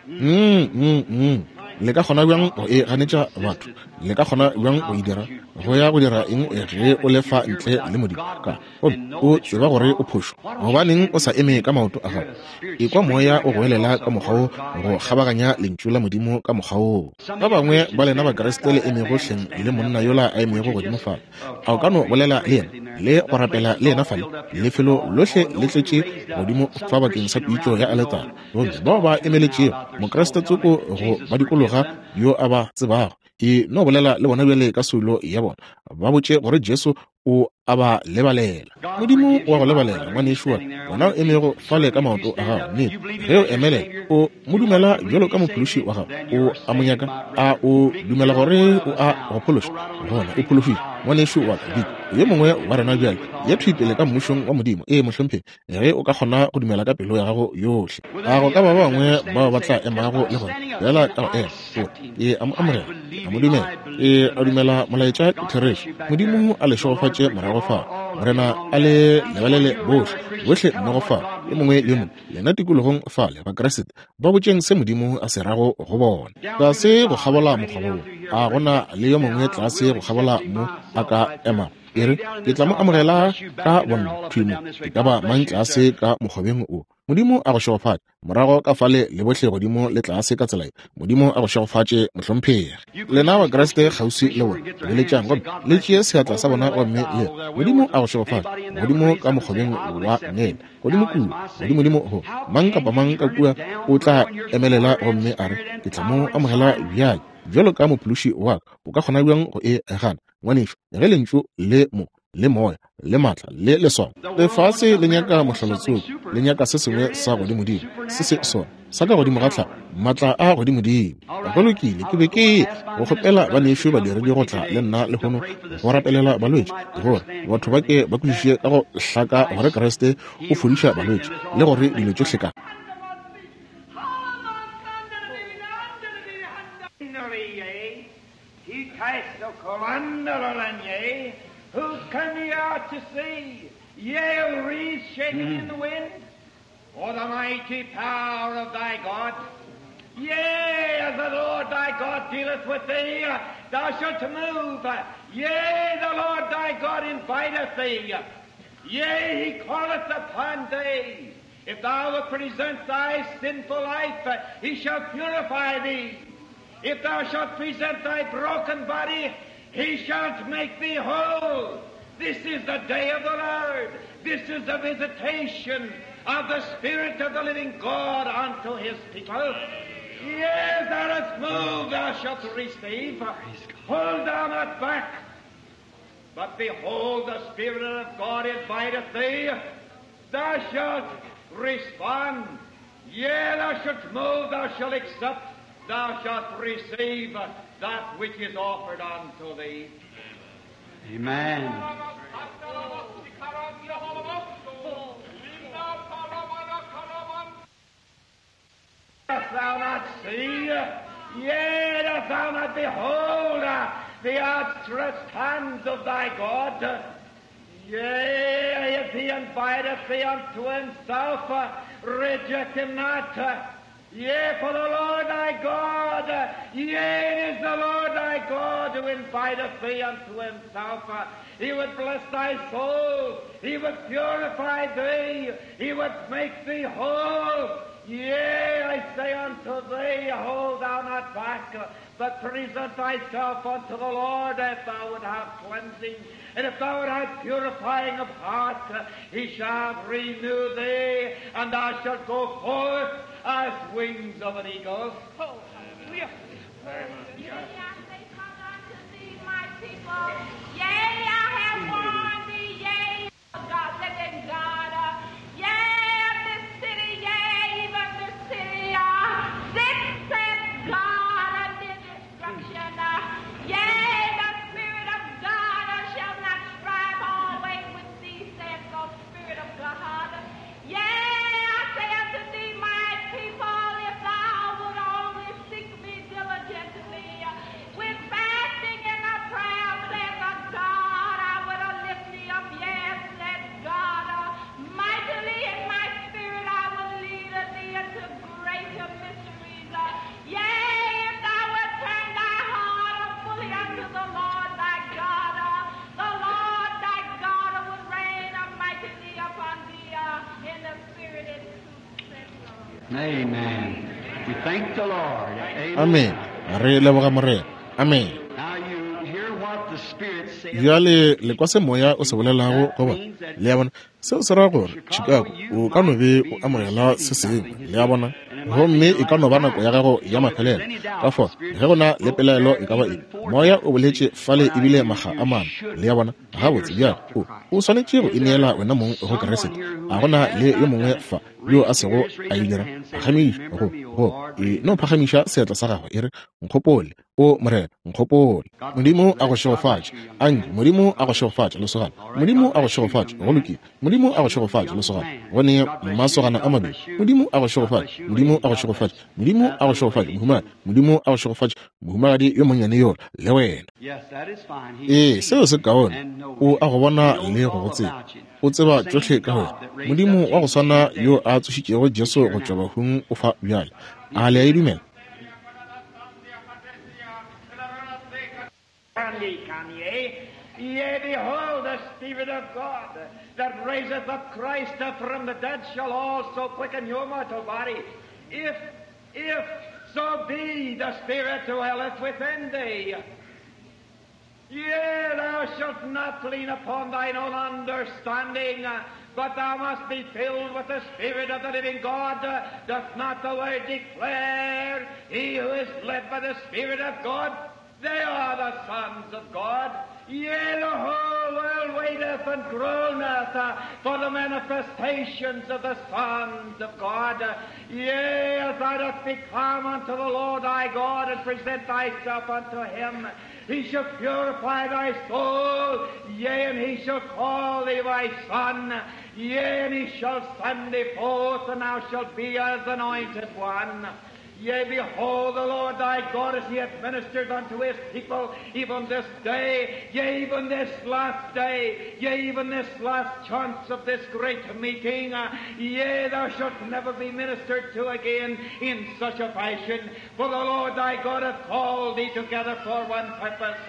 Mm, mm, mm. Le ka kgona bjang go e ganetša batho? Le ka kgona bjang go e dira? Go ya go dira eng ge o lefa ntle le Modimo? Ka gomme o tseba gore o phošo. Gobaneng o sa eme ka maoto a gago? Ekwa moya o goelela ka mokgwa wo go kgabaganya lentšu la Modimo ka mokgwa woo. Ba bangwe ba lena Bakriste le emego hleng le monna yola a emego godimo fale. A o ka no bolela le yena le go rapela le yena fale? Lefelo lohle le tletše godimo fa bakeng sa pitšo ya aletara. Gomme bao ba emeletšego Mokriste tsoko go ba dikologa yo a ba tsebago, e no bolela le bona bjale ka soulo ya bona, ba botše gore Jesu o a ba lebalela. Modimo wa go lebalela, ngwanešu wa ka, wena o emego fale ka maoto a gago, nnete, ge o emelela, o mo dumela bjalo ka mophološi wa gago, o a mo nyaka, a o dumela gore o a go phološa, gona o phološitše, ngwanešu wa ka, Vic, yo mongwe wa rena bjale, ya thwi pele ka mmušong wa Modimo. Ee, mohlomphegi, ge o ka kgona go dumela ka pelo ya gago yohle. A go ka ba bangwe bao ba tla emago le gore bjala ka go ema, o ke a mo amogela, a mo dumela, ke a dumela molaetša ke therešo. Modimo a le šegofatše morago fa, Morena a le lebalele bohle, bohle mmogo fa, yo mongwe le yo mongwe, lena tikologong fale, Bakriste, ba botšeng se Modimo a se rago go bona. Tlase go kgabola mokgobo wo, a gona le yo mongwe tlase go kgabola mo a ka emago, e re, ke tla mo amogela ka bonna thwi mo, e ka ba mang tlase ka mokgobeng wo. Modimo a go šegofatše morago ka fale le bohle godimo le tlase ka tsela ye. Modimo a go šegofatše, mohlomphegi. Lena Bakriste kgauswi le bona, beletšang gomme le tšee seatla sa bona gomme le Modimo a go šegofatše godimo ka mokgobeng wa nene, godimo kua, godimodimo go mang kapa mang ka kua o tla emelela gomme a re, ke tla mo amogela bjale bjalo ka mophološi wa ka. O ka kgona bjang go e gana, ngwanešu, ge lentšu le mo le moya le matla le leswao? Lefase le nyaka mohlalotsoko, le nyaka se sengwe sa godimodimo, se se sona sa ka godimo ga tlhago, matla a godimodimo. Go lokile, ke be ke go kgopela banešu badiredi go tla le nna lehono go rapelela balwetši, gore batho ba ke ba kwešiše ka go hlaka gore Kriste o fodiša balwetši le gore dilo tšohle ka Who come ye out to see? Yea, reeds shaken in the wind, or the mighty power of thy God. Yea, as the Lord thy God dealeth with thee, thou shalt move. Yea, the Lord thy God inviteth thee. Yea, he calleth upon thee. If thou wilt present thy sinful life, he shall purify thee. If thou shalt present thy broken body, he shall make thee whole. This is the day of the Lord. This is the visitation of the Spirit of the living God unto his people. Yea, thou dost move, thou shalt receive. Hold thou not back. But behold, the Spirit of God inviteth thee. Thou shalt respond. Yea, thou shalt move, thou shalt accept, thou shalt receive that which is offered unto thee. Amen. Dost thou not see? Yea, dost thou not behold the outstretched hands of thy God? Yea, if he inviteth thee unto himself, reject him not. Yea, for the Lord thy God, yea, it is the Lord thy God who inviteth thee unto himself. He would bless thy soul. He would purify thee. He would make thee whole. Yea, I say unto thee, hold thou not back, but present thyself unto the Lord, if thou would have cleansing, and if thou would have purifying of heart, he shall renew thee, and thou shalt go forth as wings of an eagle. Oh, hallelujah. Yea, I say, come unto thee, my people. Yea, I have warned thee, yea, God, living God. Uh, yea, of this city, yea, even this city. Uh, this saith God unto destruction. Uh, yea, the Spirit of God uh, shall not strive always with thee, saith the Spirit of God. Yea, I say unto thee, my people, if thou would only seek me diligently, with fasting and a prayer, saith the God, I would lift thee up, yes, said God, mightily in my spirit I will lead thee into greater mysteries. Yea, if thou wilt turn thy heart fully unto the Lord thy God, the Lord thy God would rain mightily upon thee in the spirit and truth, said the Lord. Amen. We thank the Lord. Amen. Amen. Re leboga Morena. Amen. Now you hear what the Spirit saith. Bjale le kwa se moya o se bolelago go bona. Le a bona, seo se ra gore Chicago o ka no be o amogela se sengwe. Le a bona, Gomme e ka no ba nako ya gago ya mafelelo. Ka fao ge go na le pelaelo e ka ba eng, Moya o boletše fale ebile makga a mane. Le a bona? Gabotse bjale o o swanetše go ineela wena mong go Kriste. A gona le yo mongwe fa yo a sego a e dira? Phagamiša go go e no phagamiša seatla sa gagwe e re, nkgopole, o Morena, nkgopole. Modimo a go šegofatše. Anke Modimo a go šegofatše, lesogana. Modimo a go šegofatše. Go lokile. Modimo a go šegofatše, lesogana. Go ne masogana a mabedi. Modimo a go šegofatše. Modimo a go šegofatše. Modimo a go šegofatše, mohumagadi. Modimo a go šegofatše, mohumagadi yo monnyane yola, le wena. Ee, seo se kaone. O a go bona le go go tseba. O tseba tšohle ka wena. Modimo wa go swana yo a tsošitšego Jesu go tšwa bahung o fa bjale. A le a e dumela? Yea, behold, the Spirit of God that raiseth up Christ from the dead shall also quicken your mortal body. If, if so be the Spirit dwelleth within thee. Yea, thou shalt not lean upon thine own understanding, but thou must be filled with the Spirit of the living God. Doth not the Word declare, he who is led by the Spirit of God, they are the sons of God. Yea, the whole world waiteth and groaneth for the manifestations of the sons of God. Yea, as thou dost become unto the Lord thy God and present thyself unto him, he shall purify thy soul. Yea, and he shall call thee my son. Yea, and he shall send thee forth, and thou shalt be as anointed one. Yea, behold, the Lord thy God, as he hath ministered unto his people, even this day, yea, even this last day, yea, even this last chance of this great meeting, uh, yea, thou shalt never be ministered to again in such a fashion. For the Lord thy God hath called thee together for one purpose.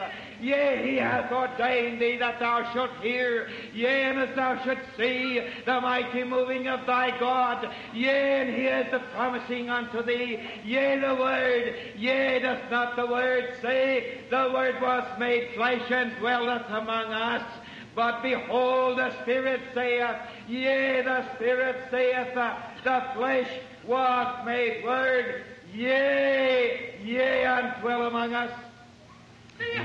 Yea, he hath ordained thee that thou shalt hear, yea, and as thou shalt see the mighty moving of thy God. Yea, and he is the promising unto thee. Yea, the Word, yea, doth not the Word say, the Word was made flesh and dwelleth among us? But behold, the Spirit saith, yea, the Spirit saith, the flesh was made Word, yea, yea, and dwell among us. Behold,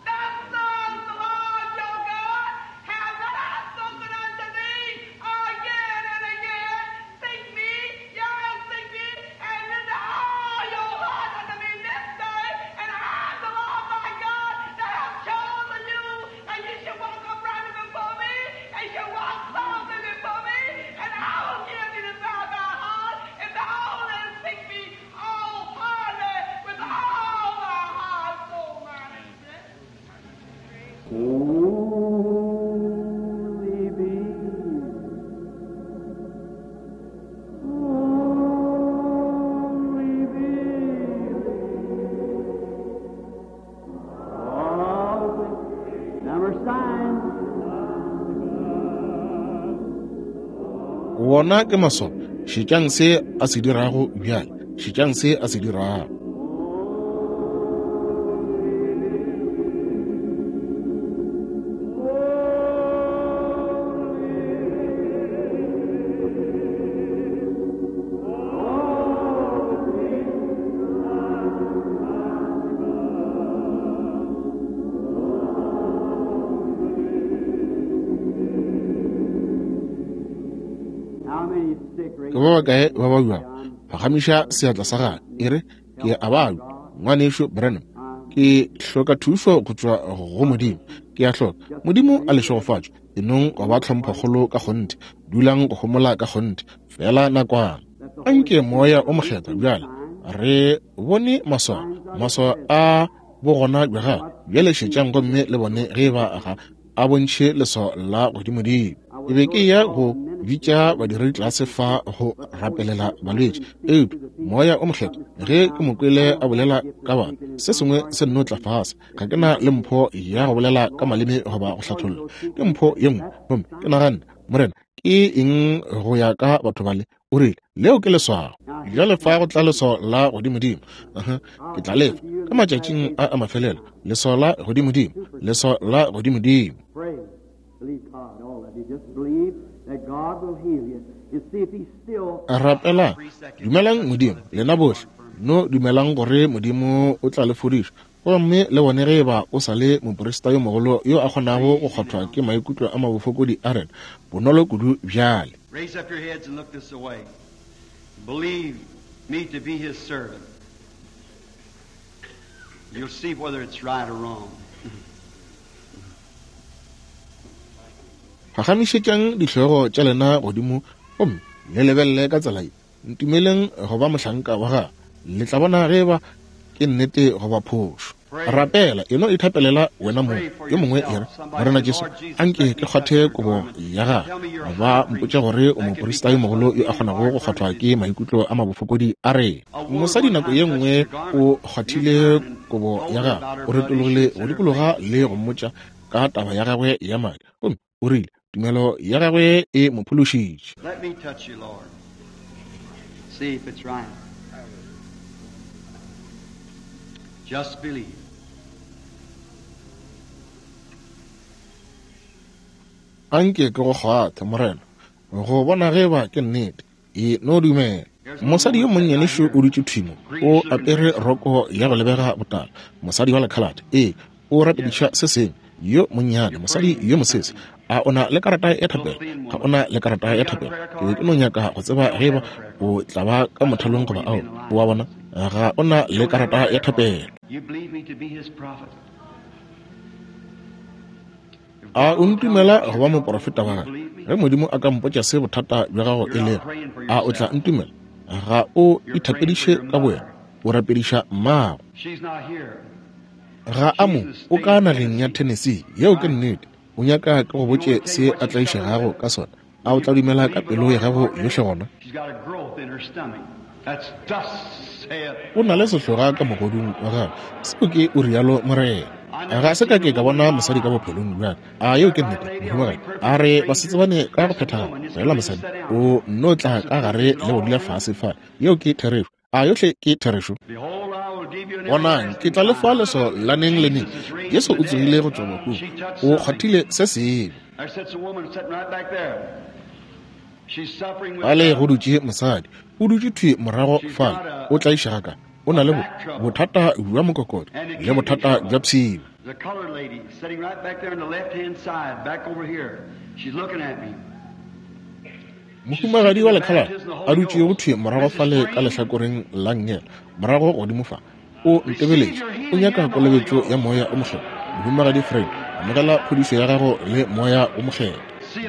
the Son of the Lord your God hath that I have spoken unto thee again and again. Seek me, yea, seek me, and render all your heart unto me this day, and I, the Lord thy God, that have chosen you, and you shall walk uprightly before me, and shall walk softly before me, and I will give thee the desire of thy heart, if thou only seek me all heartily with all thy heart, soul, mind, and strength. Only believe. Only believe. All the number sign. Wona ke maswao. Šetšang se a se dirago bjale. Šetšang se a se dirago. How many sick Ke ba bakae ba babjago? Phagamiša seatla sa gago e re, ke a babja, ngwanešo Branham. Ke hloka thušo go tšwa go Modimo. Ke a hloka. Modimo a le šegofatše. E nong go ba tlhomphokgolo ka kgonthe. Dulang go homola ka kgonthe. Fela nakwana. Anke Moya o Mokgethwa bjale re bone maswao, maswao a bogona bja gagwe. Bjale šetšang gomme le bone ge ba ga a bontšhe leswao la godimodimo. Ke be ke ya go bitša badiredi tlase fa go rapelela balwetši, eupša Moya o Mokgethwa ge ke mo kwele a bolela ka batho, se sengwe se nno tla fase. Ga ke na le mpho ya go bolela ka maleme goba go hlatholla, ke mpho ye nngwe. Gomme ke naganne, Morena, ke eng go ya ka batho bale? O rile, leo ke leswao. Bjale fa go tla leswao la godimodimo. Aha, ke tla lefa ka matšatšing a a mafelelo. Leswao la godimodimo, leswao la godimodimo. Pray. Believe God, all of you. Just believe that God will heal you. Rapela, dumelang Modimo, lena bohle. No dumelang gore Modimo o tla le fodiša. Gomme le bone ge eba o sa le moprista yo mogolo yo a kgonago go kgwathwa ke maikutlo a mabofokodi a rena bonolo kudu bjale. Raise up your heads and look this way. Believe me to be his servant. You'll see whether it's right or wrong. Phagamišetšang dihlogo tša lena godimo gomme le lebelele ka tsela ye. Ntumeleng go ba mohlanka wa gagwe. Le tla bona ge eba ke nnete goba phošo. Rapela, eno ithapelela wena mong. Yo mongwe e re, Morena Jesu, anke ke kgwathe kobo ya gagwe. Ba mpotša gore o moprista yo mogolo yo a kgonago go kgwathwa ke maikutlo a mabofokodi a rena. Mosadi nako ye nngwe o kgwathile kobo ya gagwe, o retologile go dikologa le go mmotša ka taba ya gagwe ya madi. Gomme o rile tumelo ya gagwe e mo phološitše. Let me touch you, Lord. See if it's right. Just believe. Anke ke go kgwathe, Morena, go bona ge eba ke nnete. E no dumela. Mosadi yo monnyane šo o dutše thwi mo, o apere roko ya go lebega botala. Mosadi wa lekhalate, ee, o rapediša se sengwe. Yo monnyane, mosadi yo mosese, a o na le karata ya thapelo? Ga o na le karata ya thapelo. Ke be ke no nyaka go tseba ge eba o tla ba ka mothalong goba ao. O a bona, ga o na le karata ya thapelo. You believe me to be his prophet? A o ntumela go ba moporofeta wa gagwe? Ge Modimo a ka mpotša se bothata bja gago e lego, a o tla ntumela? Ga o ithapediše ka bowena, o rapediša mmago. She's not here. Ga a mo, o ka nageng ya Tennessee. Yeo ke nnete. O nyaka ke go botše se a tlaišegago ka sona. A o tla dumela ka pelo ya gago yohle gona? She's got a growth in her stomach. That's thus saith. O na le sehloga ka mogodung wa gagwe. Seo ke o rialo Morena. Ga se ka ke ka bona mosadi ka bophelong bja ka. A yeo ke nnete, mohumagadi? A re basetsebane ka go phethagala. Fela mosadi o nno tla ka gare le go dula fase fale. Yeo ke therešo. A yohle ke therešo. Behold, I will give you an Bonang, ke tla le fa leso la neng le neng. Jesu o tsogile go tšwa bakung. O kgwathile se sengwe. There sits a woman sitting right back there. She's suffering with Fale go dutše mosadi, o dutše thwi morago fale, o tlaišega ka. O na le bo, bothata bja mokokotlo le bothata bja pshio. the colored lady sitting right back there on the left-hand side, back over here. She's looking at me. Mohumagadi wa lekhalate a dutšego thwi morago fale ka lehlakoreng la nngele, morago godimo fa, o ntebeletše. O nyaka kolobetšo ya moya o mokgethwa. Mohumagadi Frank, amogela phodišo ya gago le moya o mokgethwa.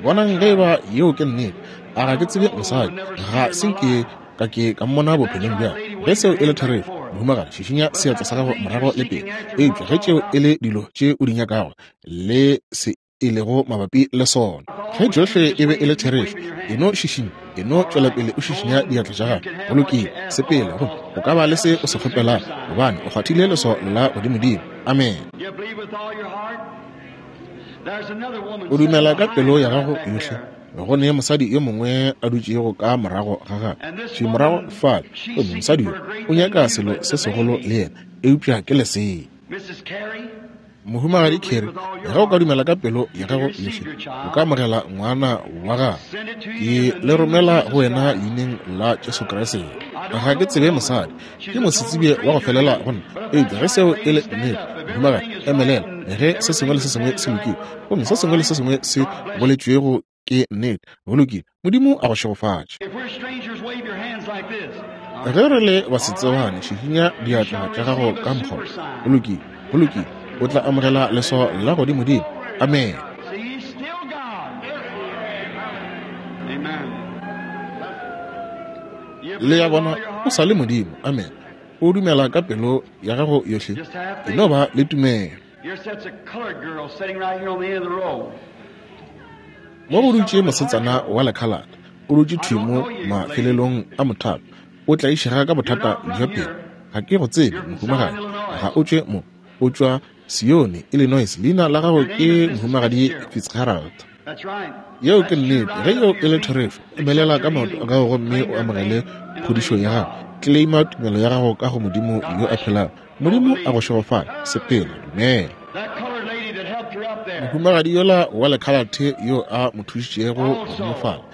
Bonang ge eba yeo ke nnete. A ga ke tsebe mosadi, ga se nke ka ke ka mmona bophelong bja. Ge seo e le therešo, mohumagadi, šišinya seatla sa gago morago le pele. Eupša ge tšeo e le dilo tše o di nyakago le se e lego mabapi le sona, ge tšohle e be e le therešo, e no šišinya, e no tšwela pele o šišinya diatla tša gago. Go lokile, sepela, gomme o ka ba le se o se kgopelago, gobane o kgwathile leso la godimodimo. Amen. You believe with all your heart? There's another woman O dumela sitting ka behind pelo ya her gago right back yohle. there. Go ne mosadi yo mongwe a dutšego ka morago ga gagwe thwi morago fale. Gomme mosadi yo o nyaka selo se segolo le yena, eupša ke lesea. Missus Carey, Mohumagadi Carey, ge o ka dumela ka pelo ya gago yohle, o ka amogela ngwana wa gago. Ke le romela go wena leineng la Jesu Kriste. Ga ke tsebe mosadi, ke mosetsebje wa go felela go nna. Eupša ge seo e le nnete, mohumagadi, emelela. Ge se sengwe le se sengwe se lokile, gomme se sengwe le se sengwe se boletšwego ke nnete, go lokile. Modimo a go šegofatše. if we're strangers, wave your hands like this. Ge re le basetsebane, šišinya diatla tša gago ka mokgwa. Go lokile, go lokile. O tla amogela leso la godimodimo. Amen. See, he's still God. Amen. You Le ya believe with bona, all your o heart? sa le Modimo. Amen. O dumela ka pelo ya gago yohle. E no ba le tumelo. Here sits a colored girl sitting right here on the end of the row. Mo go dutše mosetsana wa lekhalate, o dutše thwi mo mafelelong a mothapo. O tlaišega ka bothata bja pelo. Ga ke go tsebe, mohumagadi. Ga o tšwe mo, o tšwa Sione, Illinois. Leina la gago ke mohumagadi Fitzgerald. That's right. Yeo ke nnete. Ge yeo e le therešo, emelela ka maoto a gago gomme o amogele phodišo ya gago. Claima tumelo ya gago ka go Modimo yo a phelago. Modimo a go šegofale. Sepela, dumela. That colored lady that helped her up there. Mohumagadi yola wa lekhalate yo a mo thušitšego godimo fale,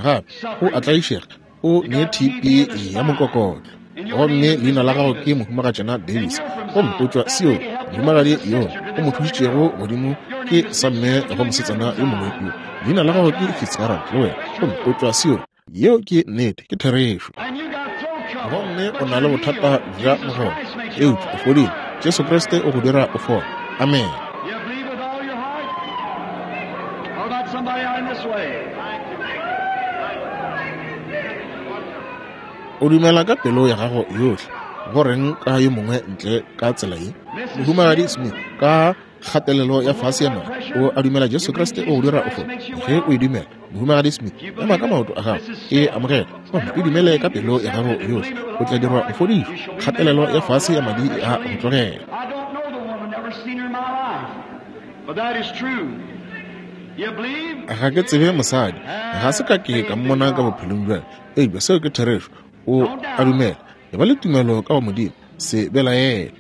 Gape o a tlaišega, o ne T B ya mokokotlo. Gomme leina la gago ke Mohumagatšana Davis, gomme o tšwa Sion. Mohumagadi yo o mo thušitšego godimo ke samme go mosetsana yo mongwe yo. Leina la gago ke Fitzgerald le wena, gomme o tšwa Sion. Yeo ke nnete, ke therešo. Gomme o na le bothata bja mogolo, eupša o fodile. Jesu Kriste o go dira o fole. Amen. O dumela ka pelo ya gago yohle. Go reng ka yo mongwe ntle ka tsela ye? Mohumagadi Smith, ka kgatelelo ya fase ya madi, o a dumela Jesu Kriste o go dira o fole. Ge o e dumela, Mohumagadi Smith, ema ka maoto a gago, e amogela, gomme o dumele ka pelo ya gago yohle, o tla dirwa o fodišwe. Kgatelelo ya fase ya madi e a go tlogela. Ga ke tsebe mosadi, ga se ka ke ka mmona ka bophelong bja ka, eupša seo ke therešo. O a dumela, e ba le tumelo ka go Modimo, se belaele.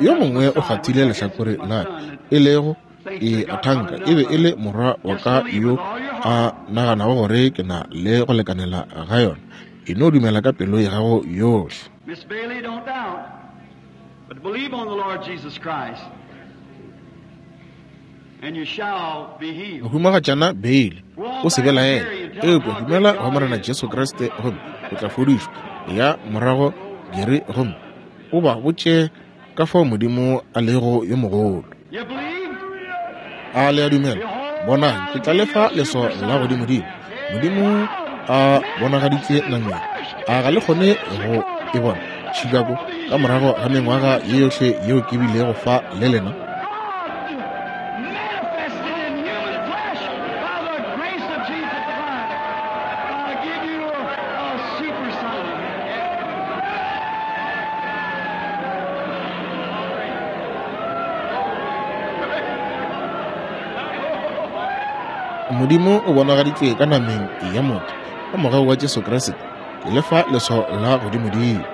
Yo mongwe o kgathile lehlakore la ka, e lego e a thanka e be e le morwa wa ka yo a naganago gore ke na le go lekanela ga yona. E no dumela ka pelo ya gago yohle. Miss Bailey, don't doubt, but believe on the Lord Jesus Christ, and you shall be healed. Mohumagatšana Bailey, o se belaele, eupša dumela go Morena Jesu Kriste, gomme o tla fodišwa. Ya morago Gary, gomme o ba botše ka fao Modimo a lego yo mogolo. A le a dumela? Bonang, ke tla lefa leso la godimodimo. Modimo a bonagaditše nameng. A ga le kgone go e bona Chicago ka morago ga mengwaga ye yohle yeo ke bilego fa le lena? Modimo o bonagaditšwe ka nameng ya motho ka mogau wa Jesu Kriste, ke lefa leso la godimodimo.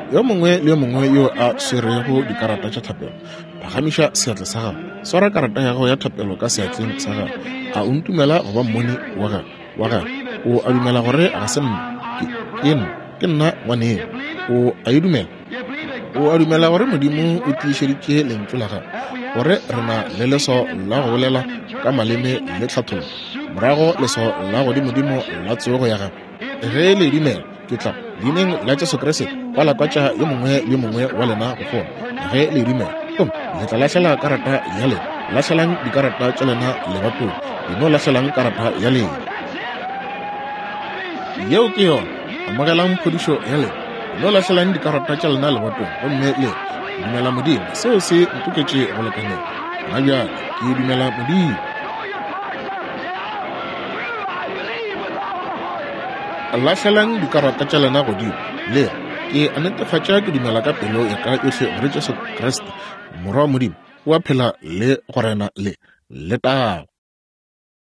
Yo mongwe le yo mongwe yo a swerego dikarata tša thapelo, phagamiša seatla sa gago. Swara karata ya gago ya thapelo ka seatleng sa gago. A o ntumela go ba mmoni wa gago wa gago? O a dumela gore ga se nna, ke ke nna, ke nna ngwaneno. O a e dumela? O a dumela gore Modimo o tiišeditše lentšu la gagwe, gore re na le leso la go bolela ka maleme le tlhathollo, morago leso la godimodimo la tsogo ya gagwe? Ge le dumela, ke tla leineng la Jesu Kriste kwalakwatša yo mongwe le yo mongwe wa lena go fola. Ge le dumela, gomme le tla lahlela karata ya lena. Lahlelang dikarata tša lena lebatong. Le no lahlelang karata ya lena. Yeo ke yona. Amogelang phodišo ya lena. Le no lahlelang dikarata tša lena lebatong, gomme le dumela Modimo. Seo se ntoketše go lekaneng. Ga bjale ke dumela Modimo. Lahlelang dikarata tša lena godimo. Le ke a netefatša ke dumela ka pelo ya ka yohle gore Jesu Kriste, Morwa wa Modimo, o a phela le go rena le letago.